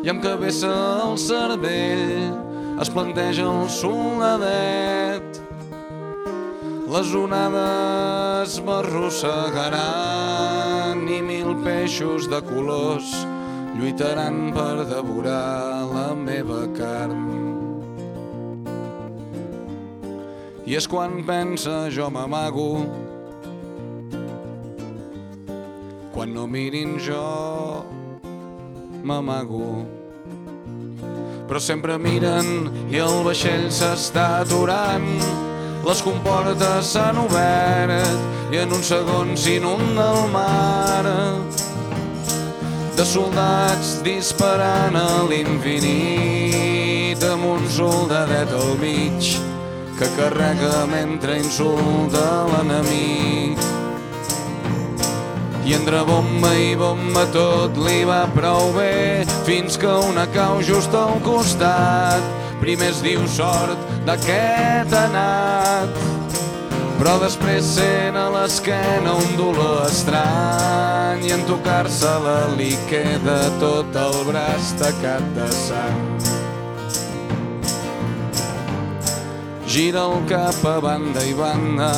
S6: i amb cabeza al cervell es planteja el soldadet, les onades m'arrossegaran i mil peixos de colors lluitaran per devorar la meva carn. I és quan pensa jo m'amago, quan no mirin jo m'amago. Però sempre miren i el vaixell s'està aturant, les comportes s'han obert i en un segon s'inunda el mar de soldats disparant a l'infinit amb un soldadet al mig que carrega mentre insulta l'enemic. I entre bomba i bomba tot li va prou bé fins que una cau just al costat. Primer es diu sort d'aquest anat, però després sent a l'esquena un dolor estrany i en tocar-se la li queda tot el braç tacat de sang. Gira el cap a banda i banda,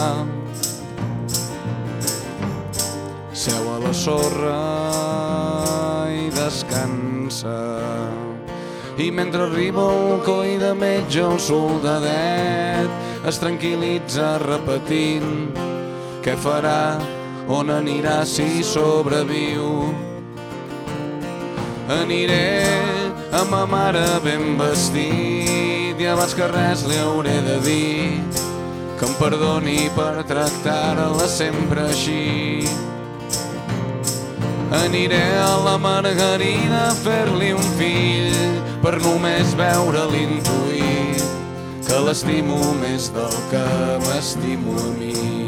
S6: seu a la sorra i descansa. I mentre arriba el coi de metge, el soldadet es tranquil·litza repetint què farà, on anirà si sobreviu. Aniré amb ma mare ben vestit i abans que res li hauré de dir que em perdoni per tractar-la sempre així. Aniré a la Margarida a fer-li un fill per només veure-li intuir que l'estimo més del que m'estimo a mi.